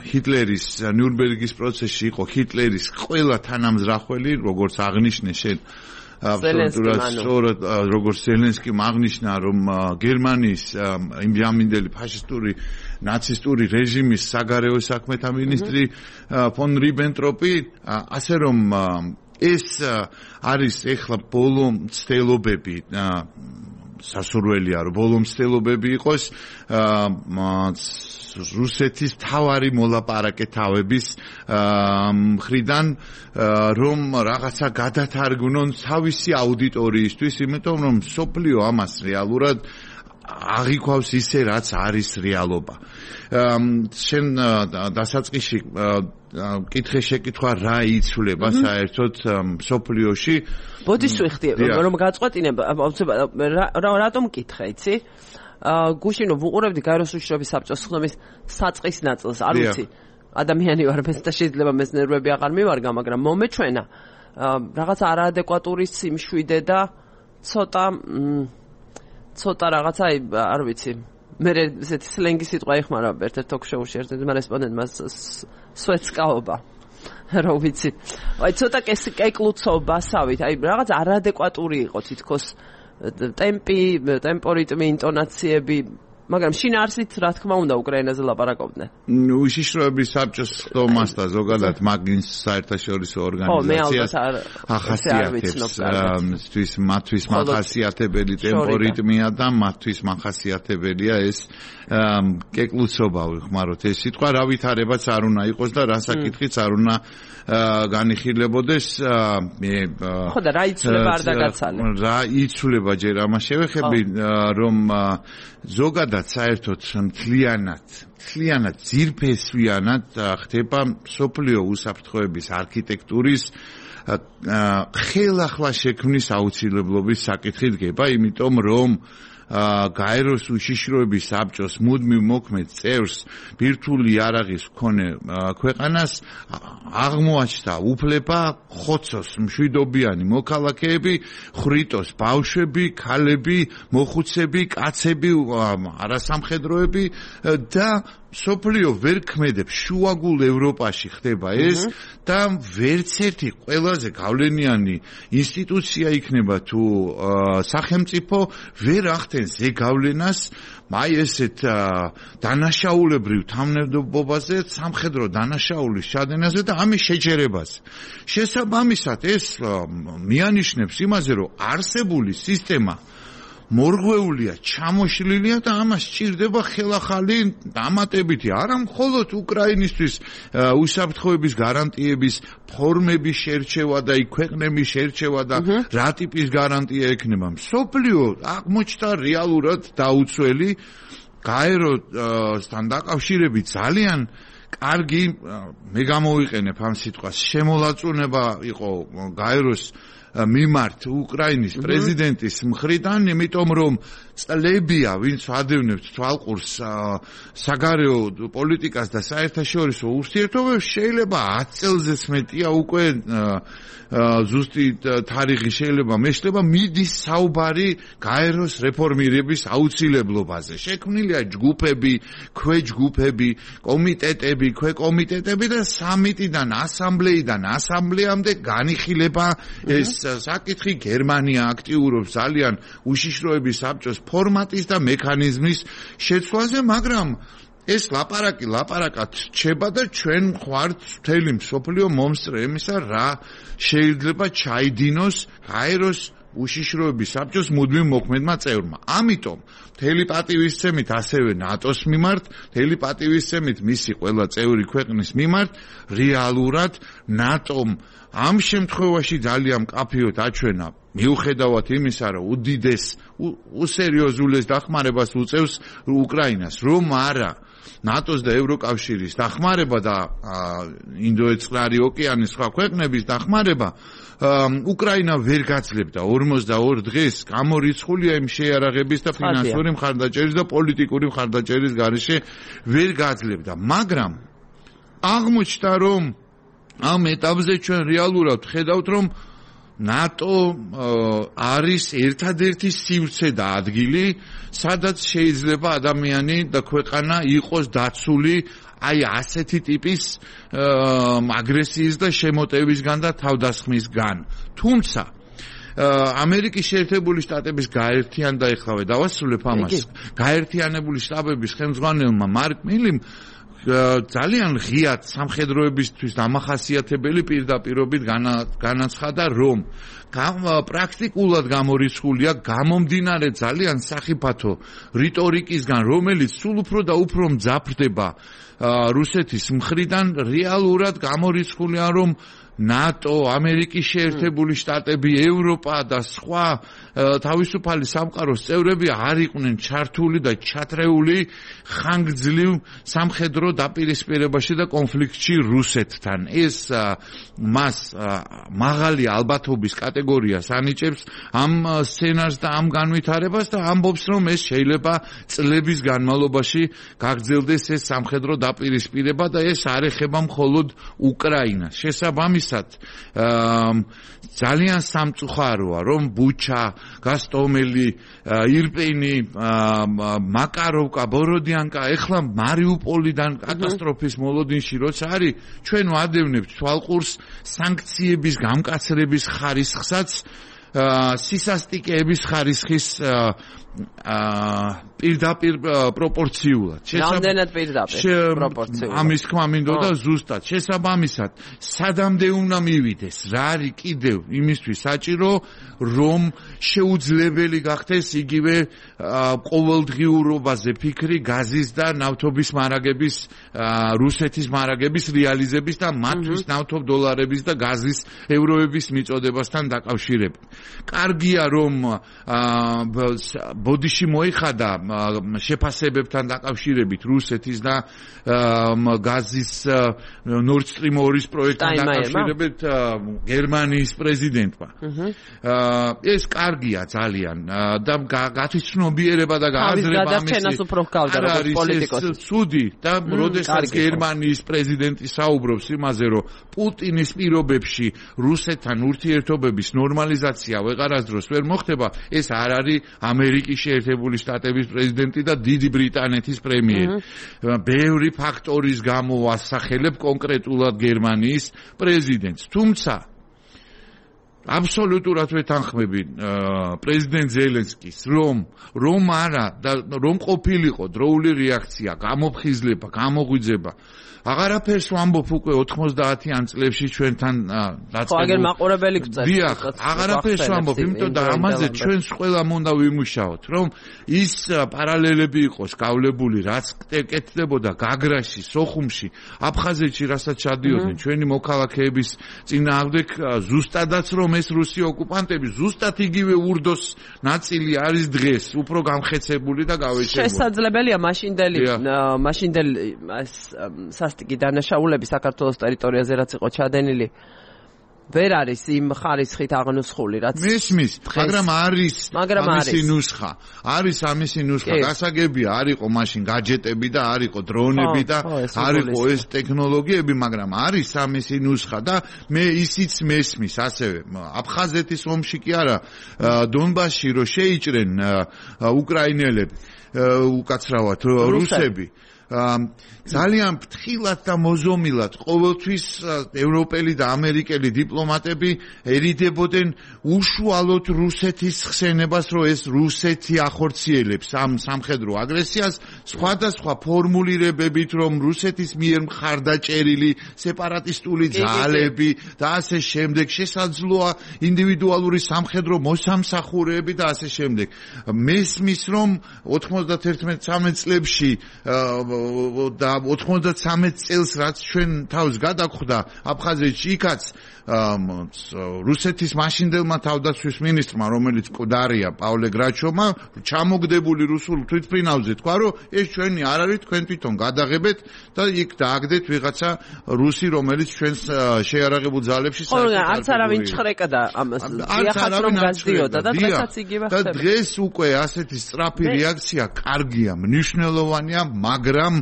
C: ჰიტლერის ნიურნბერგის პროცესში იყო ჰიტლერის ყველა თანამზრახველი, როგორც აღნიშნე შენ სწორად როგორც ზელენსკიმ აღნიშნა, რომ გერმანიის იმჟამინდელი ფაშისტური ნაცისტური რეჟიმის საგარეო საქმეთა მინისტრი ფონ რიბენტროპი, ასე რომ ეს არის ეხლა ბოლო მცდელობები, სასურველია რომ ბოლო მცდელობები იყოს რუსეთის თავარი მოლაპარაკე თავების მხრიდან, რომ რაღაცა გადათარგმნონ თავისი აუდიტორიისთვის, იმიტომ რომ სოფლიო ამას რეალურად აღიქვავს ისე, რაც არის რეალობა. შენ დასაწყისში კითხე შეკითხვა რა იცვლება საერთოდ სოფლიოში.
A: ბოდიშ ვიხდი, რომ გაწყვეტინებ, რატომ კითხე, იცი? გუშინო ვუყურებდი გაეროს უშიშროების საბჭოს ხდომის საწყის ნაწილს, არ ვიცი. ადამიანი ვარ მეც და შეიძლება მეც ნერვები აღარ მივარგა, მაგრამ მომეჩვენა რაღაც არაადეკვატური სიმშვიდე და ცოტა რაღაცა, არ ვიცი. მე ესეთი სლენგი სიტყვა იხმარა ერთ-ერთ თოქ-შოუში ერთ-ერთმა რესპონდენტმა სვეცკაობა. რა ვიცი. აი ცოტა კეკლუცობასავით, აი რაღაც არაადეკვატური იყო თითქოს ტემპორიტმი, ინტონაციები, მაგრამ შინაარსით რა თქმა უნდა უკრაინაზე ლაპარაკობდნენ.
C: უშიშროების საბჭოს ხდომას და ზოგადად მაგის საერთაშორისო ორგანიზაციას ახასიათებს მათთვის მახასიათებელი ტემპორიტმია და მათთვის მახასიათებელია ეს კეკლუცობა, ვიხმაროთ ეს სიტყვა, რა ვითარებაც არ უნდა იყოს და რა საკითხიც არ უნდა განიხილებოდეს.
A: ხო და რა იცვლება არ დაგაცალე.
C: რა იცვლება ჯერ ამას შევეხები, რომ ზოგადად საერთოდ მთლიანად ძირფესვიანად ხდება სოფლიო უსაფრთხოების არქიტექტურის ხელახლა შექმნის აუცილებლობის საკითხი დგება, იმიტომ რომ გაეროს უშიშროების საბჭოს მუდმივ მოქმედ წევრს ბირთვული იარაღის მქონე ქვეყანას აღმოაჩნდა უფლება ხოცოს მშვიდობიანი მოქალაქეები, ხრიტოს ბავშვები, ქალები, მოხუცები, კაცები, არასამხედროები და სოფლიო ვერ ქმედებს, შუაგულ ევროპაში ხდება ეს და ვერც ერთი ყველაზე გავლენიანი ინსტიტუცია იქნება თუ სახელმწიფო ვერ ახდენს ზეგავლენას აი ესეთ დანაშაულებრივ თანამდებობაზე, სამხედრო დანაშაულის ჩადენაზე და ამის შეჯერებაზე. შესაბამისად ეს მიანიშნებს იმაზე, რომ არსებული სისტემა მორღვეულია, ჩამოშლილია და ამას სჭირდება ხელახალი დამატებითი, არა მხოლოდ უკრაინისთვის უსაფრთხოების გარანტიების ფორმების შერჩევა და ქვეყნების შერჩევა და რა ტიპის გარანტია ექნება. მსოფლიო აღმოჩნდა რეალურად დაუცველი გაეროსთან დაკავშირებით ძალიან კარგი, მე გამოვიყენებ ამ სიტყვას, შემოლაწუნება იყო გაეროს მიმართ უკრაინის პრეზიდენტის მხრიდან, იმიტომ რომ წლებია, ვინც ადევნებთ თვალყურს საგარეო პოლიტიკას და საერთაშორისო ურთიერთობებს, შეიძლება 10 წელზეც მეტია უკვე ზუსტი თარიღი შეიძლება მეშლება მიდის საუბარი გაეროს რეფორმირების აუცილებლობაზე. შექმნილია ჯგუფები, ქვეჯგუფები, კომიტეტები, ქვეკომიტეტები და სამიტიდან ასამბლეიდან ასამბლეამდე განიხილება ეს საკითხი. გერმანია აქტიურობს ძალიან უშიშროების საბჭოს ფორმატის და მექანიზმის შეცვლაზე, მაგრამ ეს ლაპარაკად რჩება და ჩვენ ხوارთ მთელი მსოფლიო მომსწრე იმისა, რა შეიძლება ჩაიდინოს გაეროს უშიშროების საბჭოს მუდმივ მოქმედმა წევრმა. ამიტომ მთელი პატივისცემით ასევე ნატოს მიმართ, მთელი პატივისცემით მისი ყველა წევრი ქვეყნის მიმართ, რეალურად ნატომ ამ შემთხვევაში ძალიან მკაფიოდ აჩვენა, მიუხედავად იმისა, რომ უდიდეს უსერიოზულეს დახმარებას უწევს უკრაინას, რომ არა ნატოს და ევროკავშირის დახმარება და ინდოეთსკნარი ოკეანის სხვა ქვეყნების დახმარება უკრაინა ვერ გაძლევდა 42 დღეს გამორიცხულია იმ შეიარაღების და ფინანსური მხარდაჭერის და პოლიტიკური მხარდაჭერის გარეშე ვერ გაძლევდა, მაგრამ აღმოჩნდა, რომ ამ ეტაპზე ჩვენ რეალურად ხედავთ, რომ ნატო არის ერთადერთი სივრცე და ადგილი, სადაც შეიძლება ადამიანი და ქვეყანა იყოს დაცული აი ასეთი ტიპის აგრესიის და შემოტევისგან და თავდასხმისგან. თუმცა ამერიკის შეერთებული შტატების გაერთიან და ეხლა დავასრულებ ამას. გაერთიანებული შტატების ხელმძღვანელმა მარკ მილიმ ძალიან ღიად სამხედროებისთვის დამახასიათებელი პირდაპირობით განაცხადა, რომ პრაქტიკულად გამორიცხულია გამომდინარე ძალიან სახიფათო რიტორიკისგან, რომელიც სულ უფრო და უფრო მძაფრდება რუსეთის მხრიდან, რეალურად გამორიცხულია, რომ ნატო, ამერიკის შეერთებული შტატები, ევროპა და სხვა თავისუფალი სამყაროს წევრები არ იყვნენ ჩართული და ჩათრეული ხანგრძლივ სამხედრო დაპირისპირებაში და კონფლიქტში რუსეთთან. ეს მას მაღალი ალბათობის კატეგორიას ანიჭებს ამ სცენარს და ამ განვითარებას და ამბობს, რომ ეს შეიძლება წლების განმავლობაში გაგრძელდეს ეს სამხედრო დაპირისპირება და ეს არ ეხება მხოლოდ უკრაინას. შესაბამისად, ძალიან სამწუხაროა, რომ ბუჩა, გასტომელი, ირპენი, მაკაროვკა, ბოროდიანკა, ეხლა მარიუპოლიდან კატასტროფის მოლოდინში როცა არის, ჩვენ ვადევნებთ თვალყურს სანქციების გამკაცრების ხარისხსაც, სისასტიკეების ხარისხის პირდაპირ პროპორციულად.
A: რამდენად პირდაპირ პროპორციულად.
C: ამის თქმა მინდოდა ზუსტად. შესაბამისად, სადამდე უნდა მივიდეს, რა არის კიდევ იმისთვის საჭირო, რომ შეუძლებელი გახდეს იგივე ყოველდღიურობაზე ფიქრი გაზის და ნავთობის მარაგების, რუსეთის მარაგების რეალიზების და მათთვის ნავთობ დოლარების და გაზის ევროების მიწოდებასთან დაკავშირებით. კარგია, რომ ბოდიში მოიხადა შეფასებებთან დაკავშირებით რუსეთის და გაზის Nord Stream 2-ის პროექტთან დაკავშირებით გერმანიის პრეზიდენტმა. ეს კარგია ძალიან და გათვითცნობიერება და გააზრება
A: ამის უფრო ჰგავდა როგორც პოლიტიკოსი.
C: ცუდი და როდესაც გერმანიის პრეზიდენტი საუბრობს იმაზე, რომ პუტინის პირობებში რუსეთთან ურთიერთობების ნორმალიზაცია ვეღარასდროს ვერ მოხდება, ეს არ არის ამერიკის შეერთებული შტატების პრეზიდენტი და დიდი ბრიტანეთის პრემიერი. ბევრი ფაქტორის გამო ასახელებ კონკრეტულად გერმანიის პრეზიდენტს. თუმცა აბსოლუტურად ვეთანხმები პრეზიდენტ ზელენსკის, რომ არა და რომ ყოფილიყო დროული რეაქცია, გამოფხიზლება, გამოღვიძება. აღარაფერს ვამბობ უკვე 90-იან წლებში ჩვენთან დაწყებული.
A: აგერ მაყურებელი გწევს.
C: დიახ, აღარაფერს ვამბობ, იმიტომ და ამაზე ჩვენს ყველამ უნდა ვიმუშაოთ, რომ ის პარალელები იყოს გავლებული, რაც კეთდებოდა გაგრაში, სოხუმში, აფხაზეთში, რასაც ჩადიოდნენ ჩვენი მოქალაქეების წინააღმდეგ, ზუსტადაც რომ ეს რუსი ოკუპანტები ზუსტად იგივე ურდოს ნაწილი არის დღეს, უფრო გამხეცებული და გავეშებული.
A: შესაძლებელია მაშინდელი სასტიკი დანაშაულები საქართველოს ტერიტორიაზე რაც იყო ჩადენილი ვერ არის იმ ხარისხით აღნუსხული, რაც
C: მისმის, მაგრამ არის ამისი ნუსხა. არის ამისი ნუსხა. გასაგებია, არ იყო მაშინ გაჯეტები და არ იყო დრონები და არ იყო ეს ტექნოლოგიები, მაგრამ არის ამისი ნუსხა და მე ისიც მესმის ასევე. აფხაზეთის ომში კი არა, დონბასში რო შეიჭრენ უკრაინელები, უკაცრავად რუსები. ძალიან ფრთხილად და მოზომილად ყოველთვის ევროპელი და ამერიკელი დიპლომატები ერიდებოდნენ უშუალოდ რუსეთის ხსენებას, რომ ეს რუსეთი ახორციელებს ამ სამხედრო აგრესიას, სხვადასხვა ფორმულირებებით, რომ რუსეთის მიერ მხარდაჭერილი სეპარატისტული ძალები და ასე შემდეგ, შესაძლოა ინდივიდუალური სამხედრო მოსამსახურეები და ასე შემდეგ. მესმის, რომ 91-13 წლებში და 93 წელს რაც ჩვენ თავს გადაგხვდა აფხაზეთში, იქაც რუსეთის მაშინდელმა თავდაცვის მინისტრმა, რომელიც მკვდარია პავლე გრაჩოვმა, ჩამოგდებული რუსულ თვითმფრინავზე თქვა, რომ ეს ჩვენი არ არის, თქვენ თვითონ გადაღებეთ და იქ დააგდეთ ვიღაცა რუსი, რომელიც ჩვენს შეიარაღებულ ძალებში
A: არც არავინ ჩხრეკდა ამას. დიახაც რომ გაზდიოდა და დღესაც იგივე ხდება.
C: და დღეს უკვე ასეთი სწრაფი რეაქცია კარგია, მნიშვნელოვანია, მაგრამ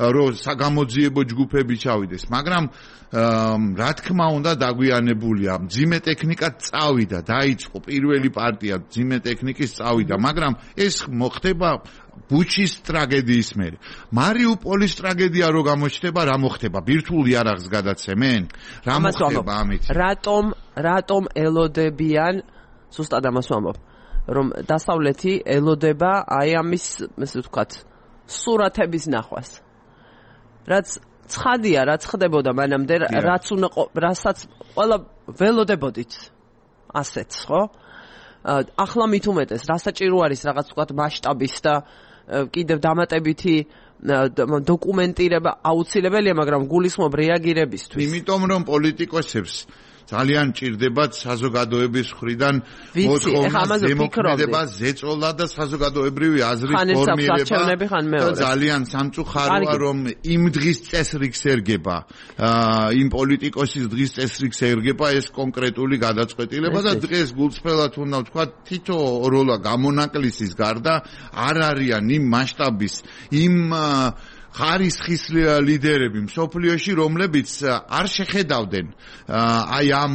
C: რომ საგამოძიებო ჯგუფები ჩავიდეს, მაგრამ რა თქმა უნდა დაგვიანებულია. მძიმე ტექნიკა წავიდა, დაიწყო პირველი პარტია მძიმე ტექნიკის წავიდა, მაგრამ ეს მოხდება ბუჩის ტრაგედიის მერე. მარიუპოლის ტრაგედია რო გამოჩნდება, რა მოხდება? ბირთვულ იარაღს გადაცემენ? რა მოხდება ამით?
A: რატომ ელოდებიან ზუსტად ამას ვამბობ, რომ დასავლეთი ელოდება აი ამის, ესე ვთქვათ, სურათების ნახვას. რაც ცხადია, რაც ხდებოდა მანამდე, რასაც ყველა ველოდებოდით ასეც, ხო? ახლა მით უმეტეს, რასაჭირო არის რაღაც ვთქვათ მასშტაბის და კიდევ დამატებითი დოკუმენტირება აუცილებელია, მაგრამ გულისხმობ რეაგირებისთვის.
C: იმიტომ რომ პოლიტიკოსებს ძალიან ჭირდებათ საზოგადოების მხრიდან მოთხოვნა დემოკრატება, ზეწოლა და საზოგადოებრივი აზრის ფორმირება. ძალიან სამწუხაროა, რომ იმ დღის წესრიგს ერგება, იმ პოლიტიკოსის დღის წესრიგს ერგება ეს კონკრეტული გადაწყვეტილება და დღეს გულწრფელად უნდა ვთქვა, თითო როლა გამონაკლისის გარდა არ არიან იმ მასშტაბის, იმ ხარისხის ლიდერები მსოფლიოში, რომლებიც არ შეხედავდნენ აი ამ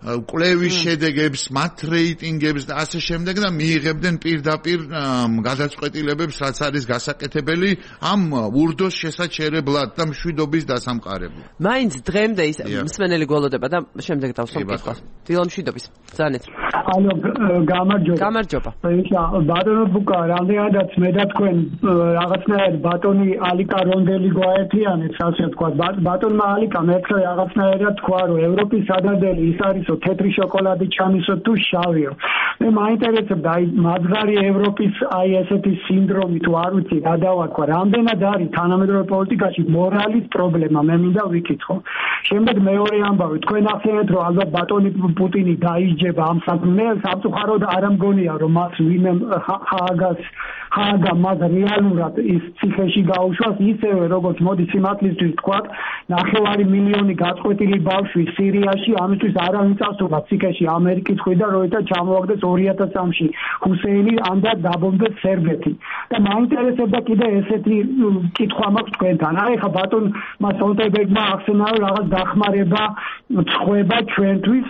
C: კვლევის შედეგებს, მათ რეიტინგებს და ასე შემდეგ და მიიღებდნენ პირდაპირ გადაწყვეტილებებს, რაც არის გასაკეთებელი ამ ურდოს შესაჩერებლად და მშვიდობის დასამყარებლად.
A: მაინც დღემდე ის მსმენელი გველოდება და შემდეგ დავსვამ კითხვას. დილა მშვიდობის. ძალიან.
E: ალო, გამარჯობა.
A: გამარჯობა.
E: ბატონო ბუკა, რამდენადაც მე და თქვენ რაღაცნაირად ბატონი ალიკა რონდელი გვაერთიანებს, ასე ვთქვა. ბატონმა ალიკამ ერთხელ რაღაცნაირად თქვა, რომ ევროპის სადარდელი ის არის თეთრი შოკოლადი ჩამისო თუ შავიო. მე მაინტერესებდა აი მadzღარი ევროპის აი ესეთი სინდრომი თუ არ ვიცი რა დავარქვა, რამდენად არის თანამედროვე პოლიტიკაში მორალის პრობლემა, მე მინდა ვიკითხო. შემდეგ მეორე ამბავი, თქვენ ახსენეთ, რომ ალბათ ბატონი პუტინი დაიჯება ამ მე სამწუხაროდ არ ამგონია, რომ მას ვინმე ჰააგა მას რეალურად ის ციხეში გაუშვას, ისევე როგორც მოდი სიმართლისთვის ვთქვათ, 9 მილიონი გაწყვეტილი ბავშვი სირიაში, ამისთვის არავინ წასულა ციხეში ამერიკის მხრიდან, როითა ჩამოაგდეს 2003-ში ჰუსეინი და დაბომბეს სერბეთი. და მაინტერესებდა კიდე ესეთი კითხვა მაქვს თქვენთან. აი ხა ბატონმა სტოლტენბერგმა ახსენა, რომ რაღაც დახმარება წყვება ჩვენთვის,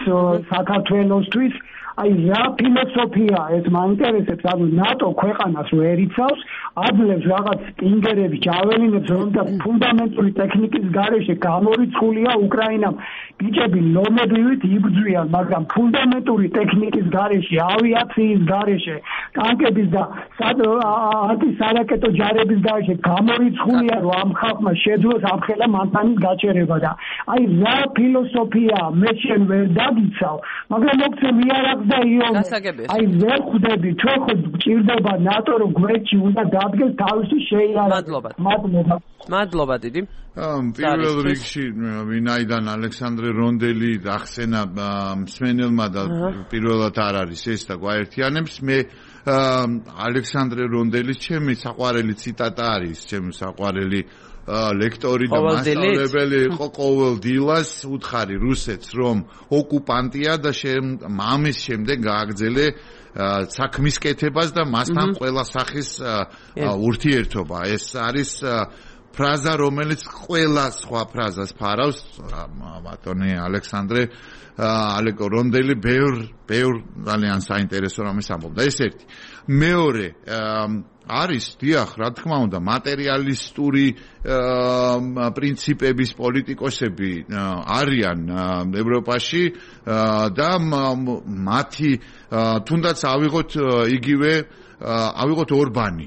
E: საქართველოსთვის. აი რა ფილოსოფია ეს მაინტერესებს, ანუ ნატო ქვეყანას ვერ იცავს, აძლევს რაღაც სპინგერებს, ჯაველინებს, რომელთა ფუნდამენტური ტექნიკის გარეშე გამორიცხულია უკრაინამ. ბიჭები ლომებივით იბრძვიან, მაგრამ ფუნდამენტური ტექნიკის გარეშე, ავიაციის გარეშე, ტანკების და ანტისარაკეტო ჯარების გარეშე გამორიცხულია, რომ ამ ხალხმა შეძლოს ამხელა მანქანის გაჩერება და აი რა ფილოსოფია მე შენ ვერ დაგიცავ, მაგრამ მოგცე მიარაღ და იონ აი ვერ ხვდები ჩვენ ხო გჭირდება ნატო რომ გვერდში უნდა დადგეს თავისი შეიარაღება.
A: მადლობა დიდი.
C: პირველ რიგში ვინაიდან ალექსანდრე რონდელი ახსენა მსმენელმა და პირველად არ არის ეს და გვაერთიანებს, მე ალექსანდრე რონდელის ჩემი საყვარელი ციტატა არის, ჩემი საყვარელი ლექტორი და მასწავლებელი იყო ყოველ დილას უთხარი რუსეთს, რომ ოკუპანტია და ამის შემდეგ გააგრძელე საქმის კეთებას და მასთან ყველა სახის ურთიერთობა. ეს არის ფრაზა, რომელიც ყველა სხვა ფრაზას ფარავს. ბატონი ალექსანდრე რონდელი ბევრ ძალიან საინტერესო რამეს ამბობდა. ეს ერთი. მეორე არის, დიახ, რა თქმა უნდა, მატერიალისტური პრინციპების პოლიტიკოსები არიან ევროპაში და მათი თუნდაც ავიღოთ ორბანი,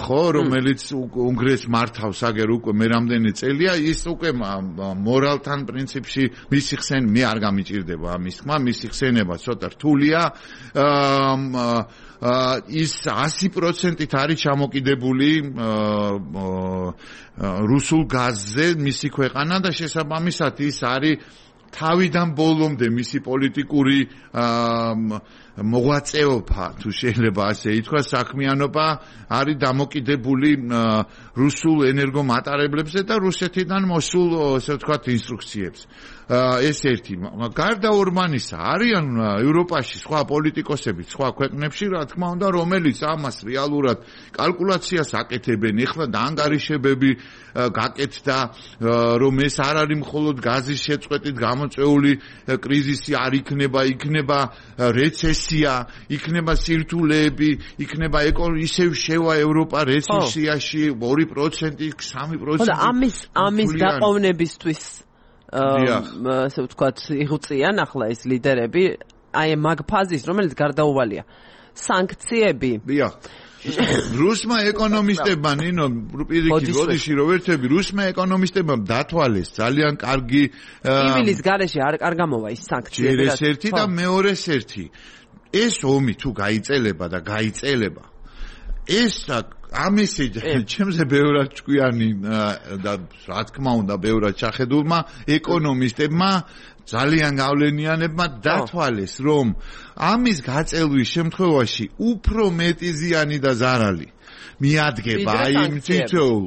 C: ხო, რომელიც უნგრეთს მართავს აგერ უკვე მე რამდენი წელია, ის უკვე მორალთან პრინციპში მისი ხსენ მე არ გამიჭირდება ამის თქმა, მისი ხსენება ცოტა რთულია. ის 100%-ით არის ჩამოკიდებული რუსულ გაზზე მისი ქვეყანა და შესაბამისად ის არის თავიდან ბოლომდე მისი პოლიტიკური მოღვაწეობა, თუ შეიძლება ასე ითქვას, საქმიანობა არის დამოკიდებული რუსულ ენერგომატარებლებზე და რუსეთიდან მოსულ, ასე ვთქვათ, ინსტრუქციებს. ეს ერთი. გარდა ორბანისა არიან ევროპაში სხვა პოლიტიკოსები, სხვა ქვეყნებში, რა თქმა უნდა, რომელიც ამას რეალურად კალკულაციას აკეთებენ. ეხლა დაანგარიშებები გაკეთდა, რომ ეს არ არის მხოლოდ გაზის შეწყვეტით გამოწვეული კრიზისი, არ იქნება რეცესია, იქნება სირთულეები, იქნება ისევ შევა ევროპა რეცესიაში 2%, 3%.
A: ამის დაყოვნებისთვის ასე ვთქვათ, იღწიან ახლა ეს ლიდერები აი მაგ ფაზის, რომელიც გარდაუვალია. სანქციები.
C: დიახ. რუსმა ეკონომისტებმა ნინო პირიქით გოდიში რო ვერთები რუსმა ეკონომისტებმა დათვალეს ძალიან კარგი
A: ივილის გარეშე არ გამოვა ის სანქციები
C: ეს ერთი და მეორეს ერთი ეს ომი თუ გაიწელება და გაიწელება ეს ამისი ჩემზე ბევრად ჭკვიანი და რა თქმა უნდა ბევრად ჩახედულმა ეკონომისტებმა ძალიან გავლენიანებმა დათვალეს რომ ამის გაწელვის შემთხვევაში უფრო მეტი ზიანი და ზარალი მიადგება აი იმ თითოეულ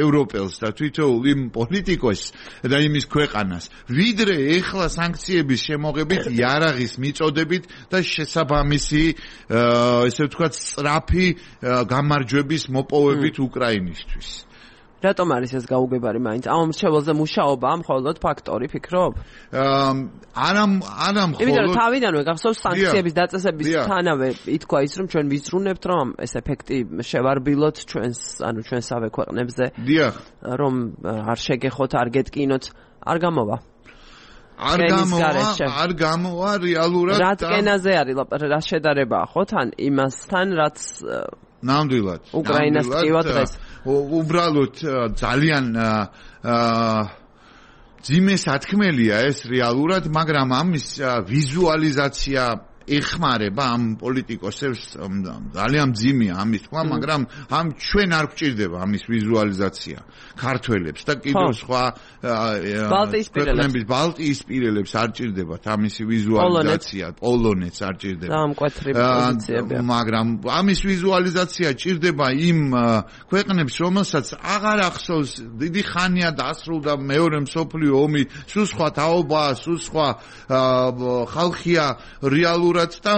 C: ევროპელს და თითოეულ იმ პოლიტიკოსს და იმის ქვეყანას ვიდრე ეხლა სანქციების შემოღებით იარაღის მიწოდებით და შესაბამისი ესე ვთქვათ სწრაფი გამარჯვების მოპოვებით უკრაინისთვის
A: რატომ არის ეს გაუგებარი მაინც? ამ მრჩეველზე მუშაობა მხოლოდ ფაქტორი ფიქრობ?
C: არა მხოლოდ.
A: იმიტომ რომ თავიდანვე გახსოვს სანქციების დაწესებისთანავე ითქვა ის რომ ჩვენ ვიზრუნებთ რომ ეს ეფექტი შევარბილოთ ჩვენსავე ქვეყნებზე.
C: დიახ.
A: რომ არ შეგეხოთ, არ გეტკინოთ, არ გამოვა.
C: არ გამოვა რეალურად.
A: რა ტკენაზე არის რა შედარებაა ხო თან იმასთან რაც
C: ნამდვილად.
A: უკრაინას ტკივა დღეს.
C: უბრალოდ ძალიან ძიმე სათქმელია ეს რეალურად, მაგრამ ამის ვიზუალიზაცია ეხმარება ამ პოლიტიკოსებს ძალიან ძიმეა ამის თქმა, მაგრამ ამ ჩვენ არ გვჭირდება ამის ვიზუალიზაცია ქართველებს და კიდევ სხვა ბალტიისპირელებს არ ჭირდებათ ამისი ვიზუალიზაცია, პოლონეთს არ ჭირდება. მაგრამ ამის ვიზუალიზაცია ჭირდება იმ ქვეყნებს, რომელსაც აღარ ახსოვს დიდი ხანია დასრულდა მეორე მსოფლიო ომი, სულ სხვა თაობაა, სულ სხვა ხალხია რეალურად და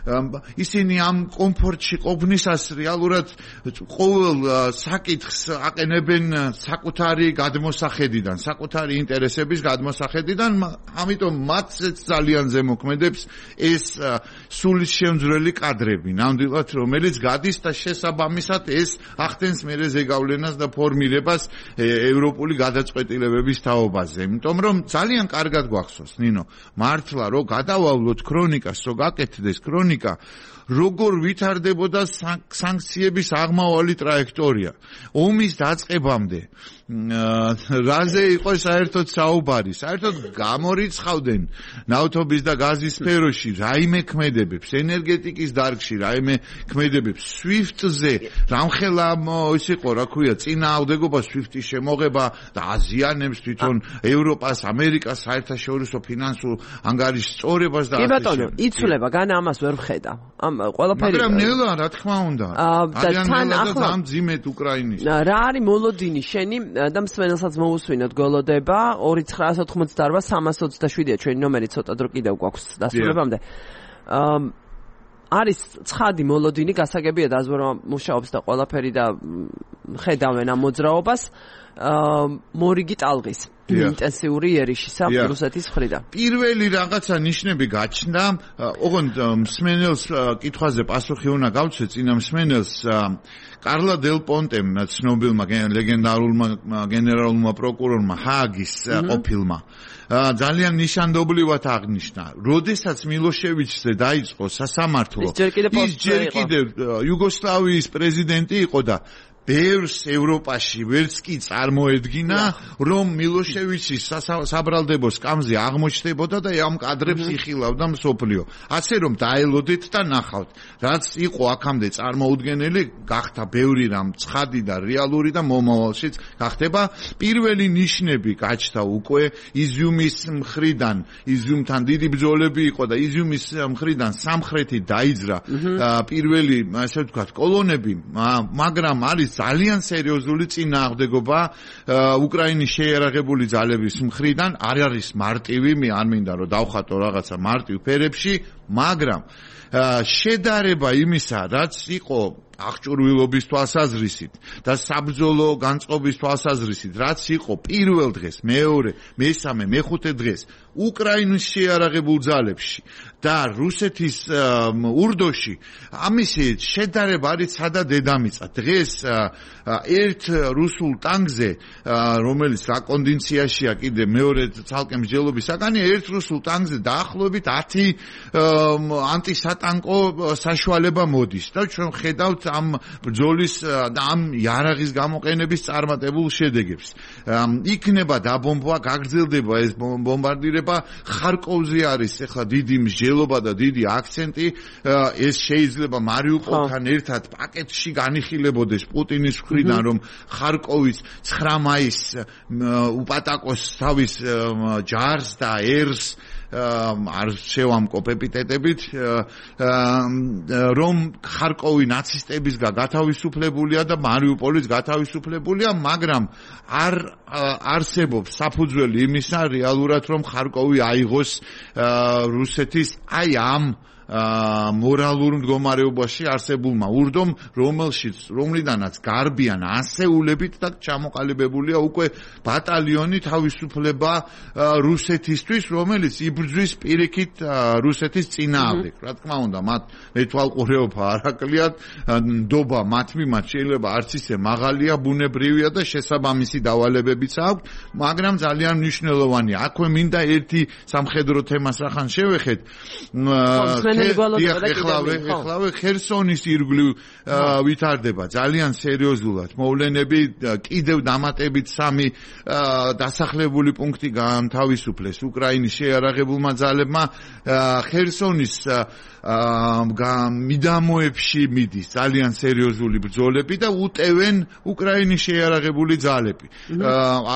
C: ისინი ამ კომფორტში ყოფნისას რეალურად ყოველ საკითხს აყენებენ საკუთარი გადმოსახედიდან, საკუთარი ინტერესების გადმოსახედიდან, ამიტომ მათაც ძალიან ზემოქმედებს ეს სულისშემძვრელი კადრები, ნამდვილად რომელიც გადის და შესაბამისად ეს ახდენს მერე ზეგავლენას და ფორმირებას ევროპული გადაწყვეტილებების თაობაზე. იმიტომ რომ ძალიან კარგად გვახსოვს, ნინო, მართლა რო გადავავლოთ ქრონიკას, რო გაკეთდეს ქრონიკა როგორ ვითარდებოდა სანქციების აღმავალი ტრაექტორია ომის დაწყებამდე რაზე იყო საერთოდ საუბარი საერთოდ გამორიცხავდნენ ნავთობის და გაზის სფეროში რაიმე ქმედებებს ენერგეტიკის დარგში რაიმე ქმედებებს SWIFT-ზე რამხელა ის იყო რა ქვია წინააღმდეგობა SWIFT-ის შემოღება და აზიანებს თვითონ ევროპას ამერიკას საერთაშორისო ფინანსურ ანგარიშ სწორებას და
A: კი ბატონო იცვლება განა ამას ვერ ვხედა ამ ყველაფერი
C: მაგრამ ნელა რა თქმა უნდა
A: თან ახლა
C: ძიმეთ უკრაინის
A: რა არის მოლოდინი შენი და მსმენელსაც მოусვინოთ გოლოდება 2988-327-ია ჩვენი ნომერი ცოტა დრო კიდევ გვაქვს დასრულებამდე არის ცხადი მოლოდინი გასაგებია დაზვერვა მუშაობს და ყველაფერი და ხედავენ ამ მოძრაობას მორიგი ტალღის ინტენსიური ერიშისა რუსეთის მხრიდან.
C: პირველი რაღაცა ნიშნები გაჩნდა, ოღონდ მსმენელს კითხვაზე პასუხი უნდა გავცე წინა მსმენელს კარლა დელ პონტემ ცნობილმა ლეგენდარულმა გენერალურმა პროკურორმა ჰააგის ყოფილმა ძალიან ნიშანდობლივად აღნიშნა, როდესაც მილოშევიჩზე დაიწყო სასამართლო ის ჯერ კიდევ იუგოსლავიის პრეზიდენტი იყო და ბევრს ევროპაში ვერც კი წარმოედგინა, რომ მილოშევიჩის საბრალდებო სკამზე აღმოჩნდებოდა და ამ კადრებს იხილავდა მსოფლიო. ასე რომ დაელოდეთ და ნახავთ, რაც იყო აქამდე წარმოუდგენელი, გახდა ბევრი რამ ცხადი და რეალური და მომავალშიც გახდება. პირველი ნიშნები გაჩნდა უკვე იზიუმის მხრიდან, იზიუმთან დიდი ბრძოლები იყო და იზიუმის მხრიდან სამხრეთით დაიძრა პირველი, ასე ვთქვათ, კოლონები, მაგრამ არის ძალიან სერიოზული წინააღმდეგობა უკრაინის შეიარაღებული ძალების მხრიდან არ არის მარტივი, მე არ მინდა რომ დავხატო რაღაცა მარტივ ფერებში, მაგრამ შედარება იმისა, რაც იყო აღჭურვილობის თვალსაზრისით და საბრძოლო განწყობის თვალსაზრისით, რაც იყო პირველ დღეს, მეორე, მესამე, მეხუთე დღეს უკრაინის შეიარაღებულ ძალებში და რუსეთის ურდოში ამისი შედარება არის სადა დედამიწა. დღეს ერთ რუსულ ტანგზე, რომელიც საკონდიციაში კიდე მეორე ცალკე მსჯელობის საგანია, ერთ რუსულ ტანგზე დაახლოებით 10 ანტისატანკო საშუალება მოდის და ჩვენ ხედავთ ამ ბრძოლის და ამ იარაღის გამოყენების წარმატებულ შედეგებს. იქნება დაბომბვა, გაგრძელდება ეს ბომბარდირება. ხარკოვზე არის ახლა დიდი მსჯელობა და დიდი აქცენტი. ეს შეიძლება მარიუპოლთან ერთად პაკეტში განიხილებოდეს პუტინის მხრიდან, რომ ხარკოვის 9 მაისს უპატაკოს თავის ჯარს და ერს არ შევამკობ ეპიტეტებით, რომ ხარკოვი ნაცისტებისგან გათავისუფლებულია და მარიუპოლის გათავისუფლებულია, მაგრამ არ არსებობს საფუძველი იმისა რეალურად, რომ ხარკოვი აიღოს რუსეთის აი ამ მორალურ მდგომარეობაში არსებულმა ურდომ, რომლიდანაც გარბიან ასეულებით და ჩამოყალიბებულია უკვე ბატალიონი თავისუფლება რუსეთისთვის, რომელიც იბრძვის პირიქით რუსეთის წინააღმდეგ. რა თქმა უნდა, მათ მეთვალყურეობა არ აკლიათ, ნდობა მათ მიმართ შეიძლება არც ისე მაღალია, ბუნებრივია და შესაბამისი დავალებებიც აქვს, მაგრამ ძალიან მნიშვნელოვანია. აქვე მინდა ერთი სამხედრო თემას რახან შევეხეთ. ეხლავე ხერსონის ირგვლივ ვითარდება ძალიან სერიოზულად მოვლენები, კიდევ დამატებით 3 დასახლებული პუნქტი განთავისუფლეს უკრაინის შეიარაღებულმა ძალებმა. ხერსონის მიდამოებში მიდის ძალიან სერიოზული ბრძოლები და უტევენ უკრაინის შეიარაღებული ძალები.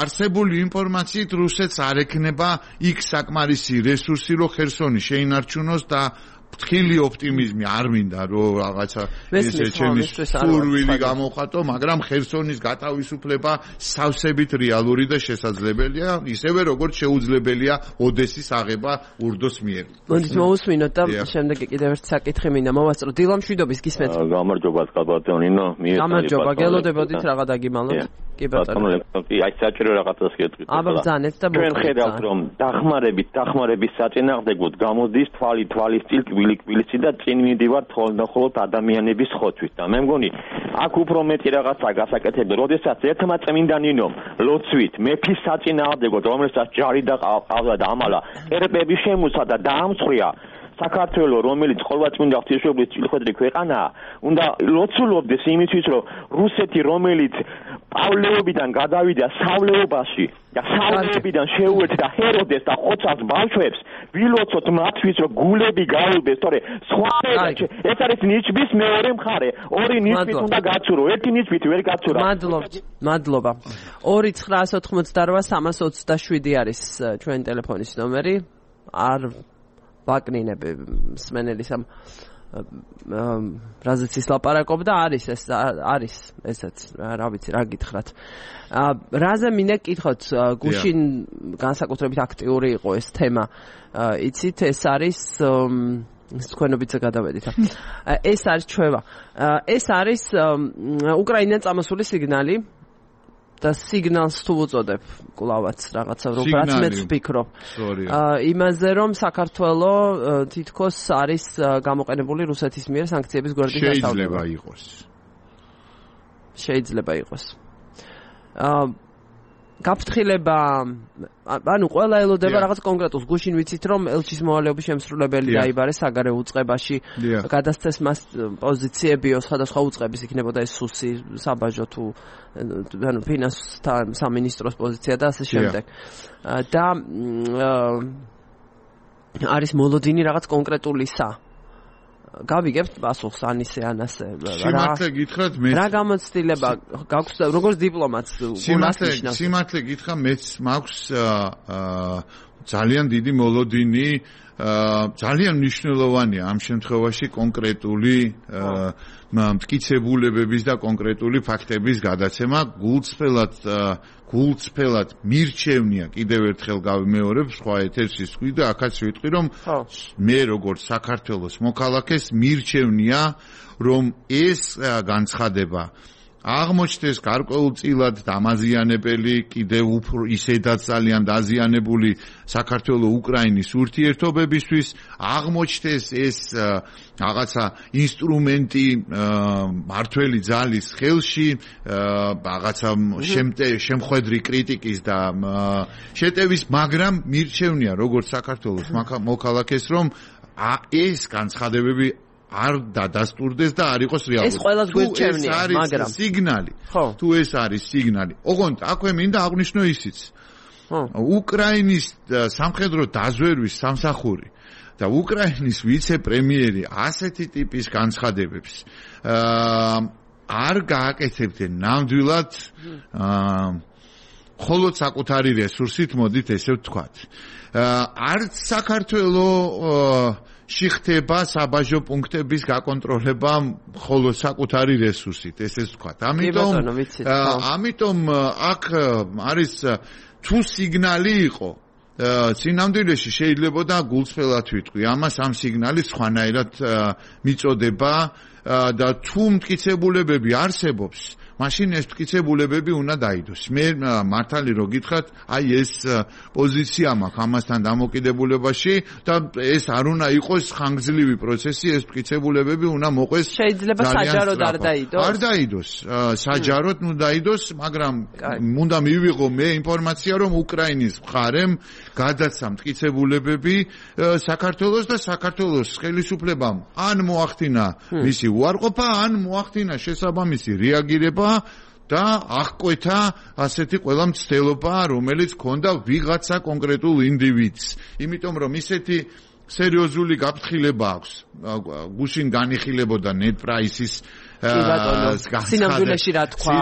C: არსებული ინფორმაციით რუსეთს არ ექნება იქ საკმარისი რესურსი, რომ ხერსონი შეინარჩუნოს და ფრთხილი ოპტიმიზმი არ მინდა რომ რაღაცა ესე ჩემი სურვილი გამოვხატო, მაგრამ ხერსონის გათავისუფლება სავსებით რეალური და შესაძლებელია, ისევე როგორც შეუძლებელია ოდესის აღება ურდოს მიერ.
A: მოდით მოусმინოთ და შემდეგ კიდევ ერთი საკითხი მინდა მოვასწრო. დილა მშვიდობის გისმენთ.
F: გამარჯობა კაბატონინო.
A: გამარჯობა, გელოდებოდით რაღა დაგიმალოთ. კი ბატონო.
F: აი საჭირო რაღაცას გეტყვით.
A: აბრძანეთ და
F: ჩვენ ხედავთ რომ დახმარების საწინააღმდეგოდ გამოდის თვალის წილ კვილიცი და წინ მიდივართ ხოლმე ადამიანების ხოთვით და მე მგონი აქ უფრო მეტი რაღაცა გასაკეთებია, როდესაც ერთმა წმინდანინომ ლოცვით მეფის საწინააღმდეგოდ, რომელსაც ჯარი და ყავდა და ამალა ერბები შემოსა და დაამსხვრია საქართველოს, რომელიც ყოვლადწმინდა ღვთისმშობლის წილხვედრი ქვეყანაა, უნდა ლოცულობდეს იმისთვის, რომ რუსეთი, რომელიც პავლეობიდან გადავიდა სავლეობაში და სავლეობიდან შეუერთდა ჰეროდეს და ხოცას ბავშვებს, ვილოცოთ მათთვის, რომ გულები გაუვდეს, თორე სხვა ეს არის ნიჩბის მეორე მხარე. ორი ნიჩბით უნდა გაცურო, ერთი ნიჩბით ვერ გაცურა.
A: მადლობა. 2988327 არის ჩვენი ტელეფონის ნომერი. არ ვაკნინები მსმენელის ამ რაზეც ის ლაპარაკობდა, არის ესეც, რა ვიცი, რა გითხრათ. რაზე მინდა გკითხოთ, გუშინ განსაკუთრებით აქტიური იყო ეს თემა. იცით, ეს არის თქვენობიცა გადავედით. ეს არის ჩვევა. ეს არის უკრაინიდან წამოსული სიგნალი და სიგნალს თუ უწოდებ კლავაც რაღაცა რომ რაც მეც ვფიქრობ. იმაზე რომ საქართველოს თითქოს არის გამოყენებული რუსეთის მიერ სანქციების გვერდის დასავლება. შეიძლება იყოს. გაფრთხილება, ანუ ყველა ელოდება რაღაც კონკრეტულს. გუშინ ვიცით რომ ელჩის მოვალეობის შემსრულებელი დაიბარეს საგარეო უწყებაში, გადასცეს მას პოზიციებიო სხვადასხვა უწყების, იქნებოდა ეს სუსი, საბაჟო თუ ანუ ფინანსთა სამინისტროს პოზიცია და ასე შემდეგ. და არის მოლოდინი რაღაც კონკრეტულისა. გავიგებთ პასუხს ანისე ანასე
C: სიმართლე გითხრათ მე
A: რა გამოცდილება გაქვს როგორც დიპლომატს
C: სიმართლე გითხრა მეც მაქვს ძალიან დიდი მოლოდინი ძალიან მნიშვნელოვანია ამ შემთხვევაში კონკრეტული მტკიცებულებების და კონკრეტული ფაქტების გადაცემა გულწრფელად მირჩევნია კიდევ ერთხელ გავიმეორებ სხვა ეთერში ვთქვი და აქაც ვიტყვი რომ მე როგორც საქართველოს მოქალაქეს მირჩევნია რომ ეს განცხადება აღმოჩნდეს გარკვეულწილად დამაზიანებელი კიდევ უფრო ისედაც ძალიან დაზიანებული საქართველო-უკრაინის ურთიერთობებისთვის აღმოჩნდეს ეს რაღაცა ინსტრუმენტი მართველი ძალის ხელში რაღაცა შემხედრი კრიტიკის და შეტევის მაგრამ მირჩევნია როგორც საქართველოს მოქალაქეს რომ ეს განცხადებები არ დადასტურდეს და არ იყოს რეალური.
A: ეს ყველას გვერდჩევნია, მაგრამ
C: სიგნალი. თუ ეს არის სიგნალი. ოღონდ აქვე მინდა აღვნიშნო ისიც. უკრაინის სამხედრო დაზვერვის სამსახური და უკრაინის ვიცე-პრემიერი ასეთი ტიპის განცხადებებს არ გააკეთებდნენ ნამდვილად მხოლოდ საკუთარი რესურსით, მოდით ესე ვთქვათ. არც საქართველოს შეხდება საბაჟო პუნქტების გაკონტროლება მხოლოდ საკუთარი რესურსით, ესე ვთქვათ. ამიტომ აქ არის თუ სიგნალი იყო სინამდვილეში შეიძლებოდა გულწრფელად ვიტყვი ამას ამ სიგნალის სხვანაირად მიწოდება და თუ მტკიცებულებები არსებობს მაშინ ეს მტკიცებულებები უნდა დაიდოს. მე მართალი რო გითხრათ, აი ეს პოზიცია მაქვს ამასთან დამოკიდებულებაში და ეს არ უნდა იყოს ხანგრძლივი პროცესი, ეს მტკიცებულებები უნდა მოყვეს.
A: შეიძლება საჯაროდ არ დაიდოს.
C: არ დაიდოს. საჯაროდ ნუ დაიდოს, მაგრამ უნდა მივიღო მე ინფორმაცია, რომ უკრაინის მხარემ გადაცა მტკიცებულებები საქართველოს და საქართველოს ხელისუფლებამ ან მოახდინა მისი უარყოფა, ან მოახდინა შესაბამისი რეაგირება და აღკვეთა ასეთი ყველა მცდელობა, რომელიც ჰქონდა ვიღაცა კონკრეტულ ინდივიდს. იმიტომ რომ ისეთი სერიოზული გაფრთხილება აქვს. გუშინ განიხილებოდა net price-ის
A: სინამდვილეში რა თქვა,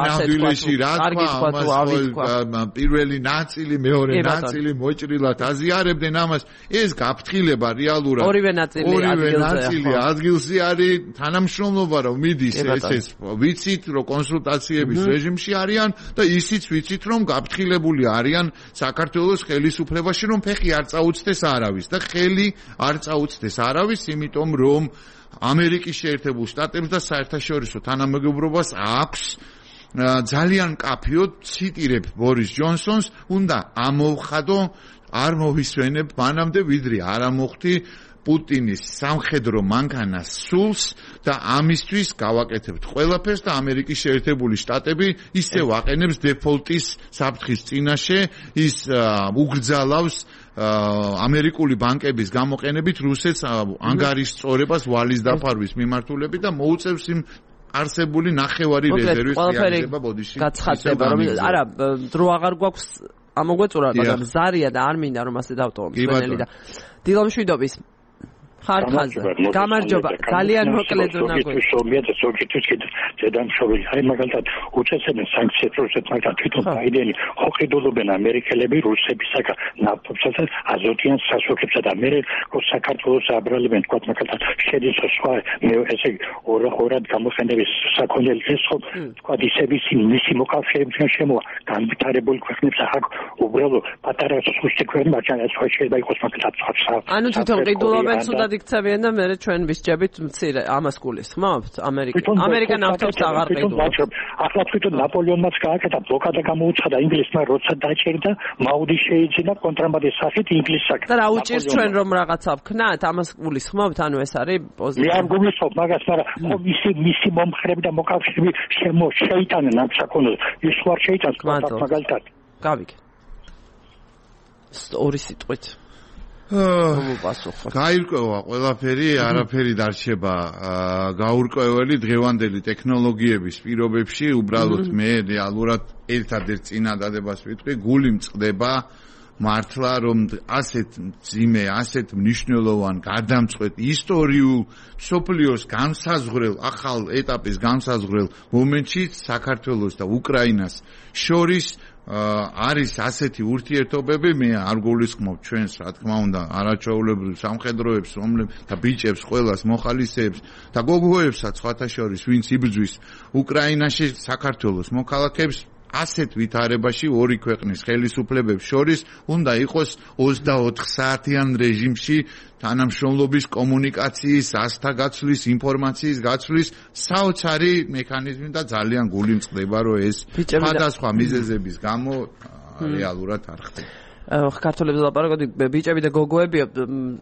C: პირველი ნაწილი, მეორე ნაწილი მოჭრილად აზიარებდნენ ამას. ეს გაფრთხილება რეალურად
A: ორივე ნაწილი
C: ადგილზე არის, თანამშრომლობა რომ მიდის ეს ვიცით რომ კონსულტაციების რეჟიმში არიან და ისიც ვიცით რომ გაფრთხილებული არიან საქართველოს ხელისუფლებაში რომ ფეხი არ წაუწდეს არავის და ხელი არ წაუწდეს არავის, იმიტომ რომ ამერიკის შეერთებულ შტატებს და საერთაშორისო თანამეგობრობას აქვს ძალიან კაფიოდ ციტირებ ბორის ჯონსონს, უნდა ამოვხადო, არ მოვისვენებ მანამდე ვიდრე არ ამოხდი პუტინის სამხედრო მანქანას სულს და ამისთვის გავაკეთებთ ყველაფერს და ამერიკის შეერთებული შტატები ისევ აყენებს დეფოლტის საფრთხის წინაშე, ის უგრძალავს ამერიკული ბანკების გამოყენებით რუსეთს ანგარიშწორებას ვალის დაფარვის მიმართულებით და მოუწევს იმ არსებული ნახევარი რეზერვის რეალიზება ბოდიში.
A: გაცხადდება რომ არა დრო აღარ გვაქვს ამოგვეწურა, მაგრამ ზარია და არ მინდა რომ ასე დავტოვო მსმენელი და დილომშვიდობის ხარხაზე. გამარჯობა, ძალიან მოკლედ უნდა
G: გითხრათ. ზოგიერთის კიდე დედამშობილი, აი მაგალითად უწესებენ სანქციებს რუსეთს, მაგრამ თვითონ ბაიდენი ოყიდულობენ ამერიკელები რუსებისაგან ნავთობსა და აზოტიან სასუქებსა და მე საქართველოს აბრალებენ, თქვა მაგალითად შედის სხვა ესე ორად გამოხენების საქონელი ეს ხო თქვა ისების მისი მოკავშირეებთან შემოა განვითარებული ქვეყნებს ახ უბრალოდ პატარა სუსტი ქვეყნები მაგრამ ეს ხო შეიძლება იყოს მაგალითად
A: ანუ თვითონ ყიდულობენ სულად იქცევიან და მე ჩვენ ვისჯებით მცირე ამას გულისხმობთ ამერიკა ნავთობს აღარ ყიდულობს.
G: ახლა თვითონ ნაპოლეონმაც გააკეთა ბლოკადა გამოუცხადა ინგლისმა როცა დაჭერდა მაუდი შეიძინა კონტრაბანდის სახით ინგლისსაგან.
A: და რა უჭირს ჩვენ რომ რაღაცა ვქნათ ამას გულისხმობთ ანუ ეს არის პოზიცია.
G: მე არ გულისხმობ მაგას მაგრამ მისი მომხრები და მოკავშირეები შეიტანენ ამ საკონოს ის ვარ შეიტანს მაგალითად.
A: გავიგე. ორი სიტყვით
C: გაირკვევა ყველაფერი, არაფერი დარჩება გაურკვეველი დღევანდელი ტექნოლოგიების პირობებში, უბრალოდ მე რეალურად ერთადერთ წინადადებას ვიტყვი, გული მწყდება მართლა რომ ასეთ მძიმე, ასეთ მნიშვნელოვან გადამწყვეტ ისტორიულ სოფლიოს განსაზღვრელ ახალ ეტაპის განსაზღვრელ მომენტში საქართველოს და უკრაინას შორის არის ასეთი ურთიერთობები, მე არ გულისხმობ ჩვენს, რა თქმა უნდა, არაჩვეულებრივ სამხედროებს, და ბიჭებს, ყველას მოხალისეებს და გოგოებსაც სხვათა შორის, ვინც იბრძვის უკრაინაში საქართველოს მოქალაქეებს, ასეთ ვითარებაში ორი ქვეყნის ხელისუფლებებს შორის უნდა იყოს 24 საათიან რეჟიმში თანამშრომლობის, კომუნიკაციის, ასთა გაცვლის, ინფორმაციის გაცვლის საოცარი მექანიზმი და ძალიან გული მწყდება, რომ ეს სხვადასხვა მიზეზების გამო რეალურად არ ხდება.
A: ქართველებს ლაპარაკობდი, ბიჭები და გოგოები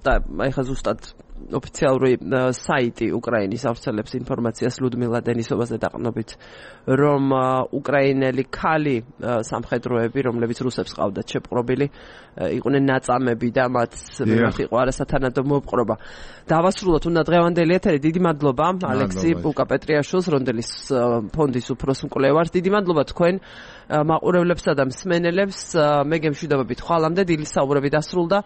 A: და ეხლა ზუსტად ოფიციალური საიტი უკრაინის ავრცელებს ინფორმაციას ლუდმილა დენისოვაზე დაყრდნობით, რომ უკრაინელი ქალი სამხედროები, რომლებიც რუსებს ყავდათ შეპყრობილი, იყვნენ ნაწამები და მათ მიმართ იყო არასათანადო მოპყრობა. დავასრულოთ უნდა დღევანდელი ეთერი. დიდი მადლობა ალექსი პუკა-პეტრიაშვილს, რონდელის ფონდის უფროს მკვლევარს. დიდი მადლობა თქვენ მაყურებლებსა და მსმენელებს. მე გემშვიდობებით ხვალამდე დილის საუბრები დასრულდა.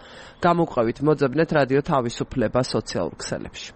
A: გამოგვყევით, მოძებნეთ რადიო თავისუფლება სოციალურ ქსელებში.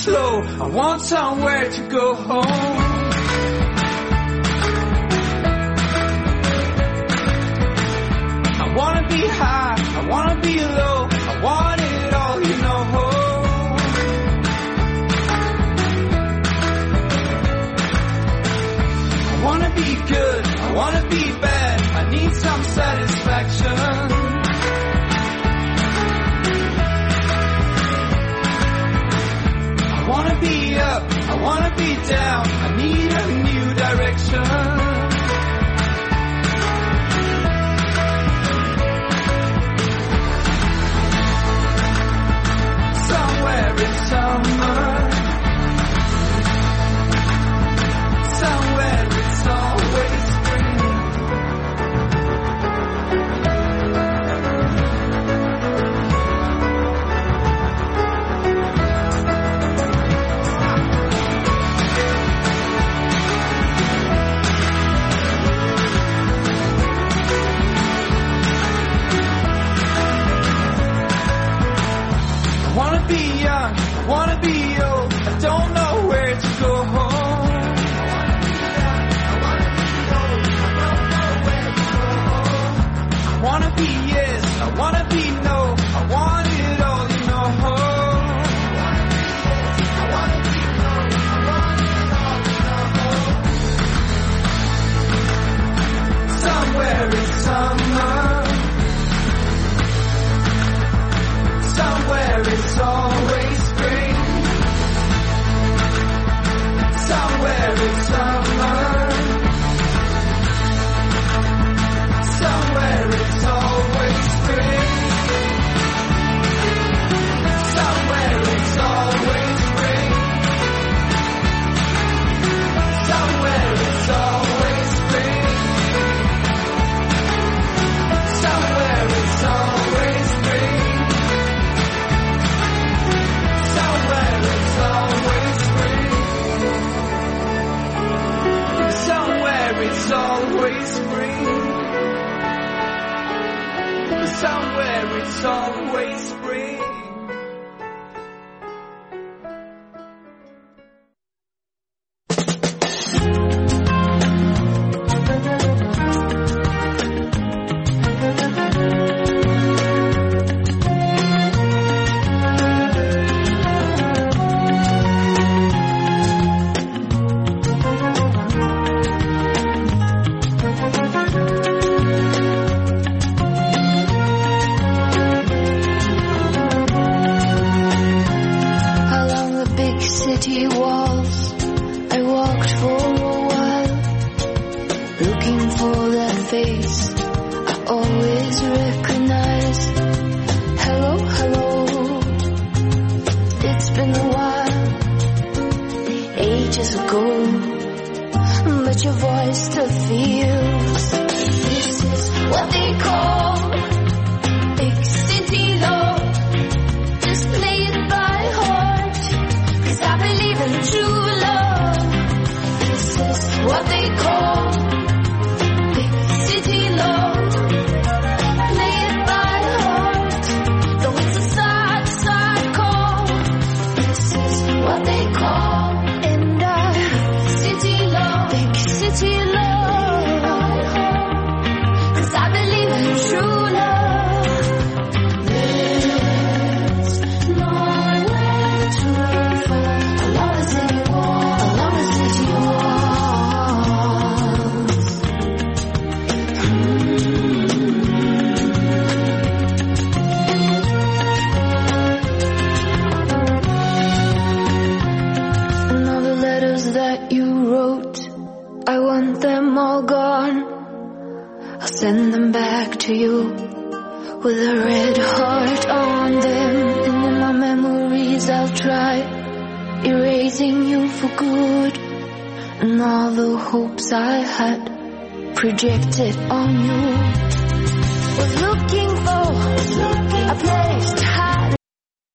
H: I want somewhere to go home. I wanna be high, I wanna be low, I want it all, you know. I wanna be good, I wanna be bad, I need some satisfaction. I wanna be up, I wanna be down, I need a new direction. Somewhere in summer, somewhere it's always spring. I wanna be young, I wanna be old, I don't know where to go home. I wanna be yes, I wanna be no, I want it all, you know. Somewhere in summer, somewhere it's always spring. Somewhere it's summer. Somewhere it's always spring. Somewhere it's always spring. Somewhere it's always spring. Somewhere it's always spring. Somewhere it's always spring. Somewhere it's always spring. Somewhere it's always spring.
I: City walls, I walked for a while, looking for that face I always recognize. Hello, hello, it's been a that you wrote, I want them all gone. I'll send them back to you with a red heart on them. And in my memories I'll try erasing you for good, and all the hopes I had projected on you. Was looking for a place to hide.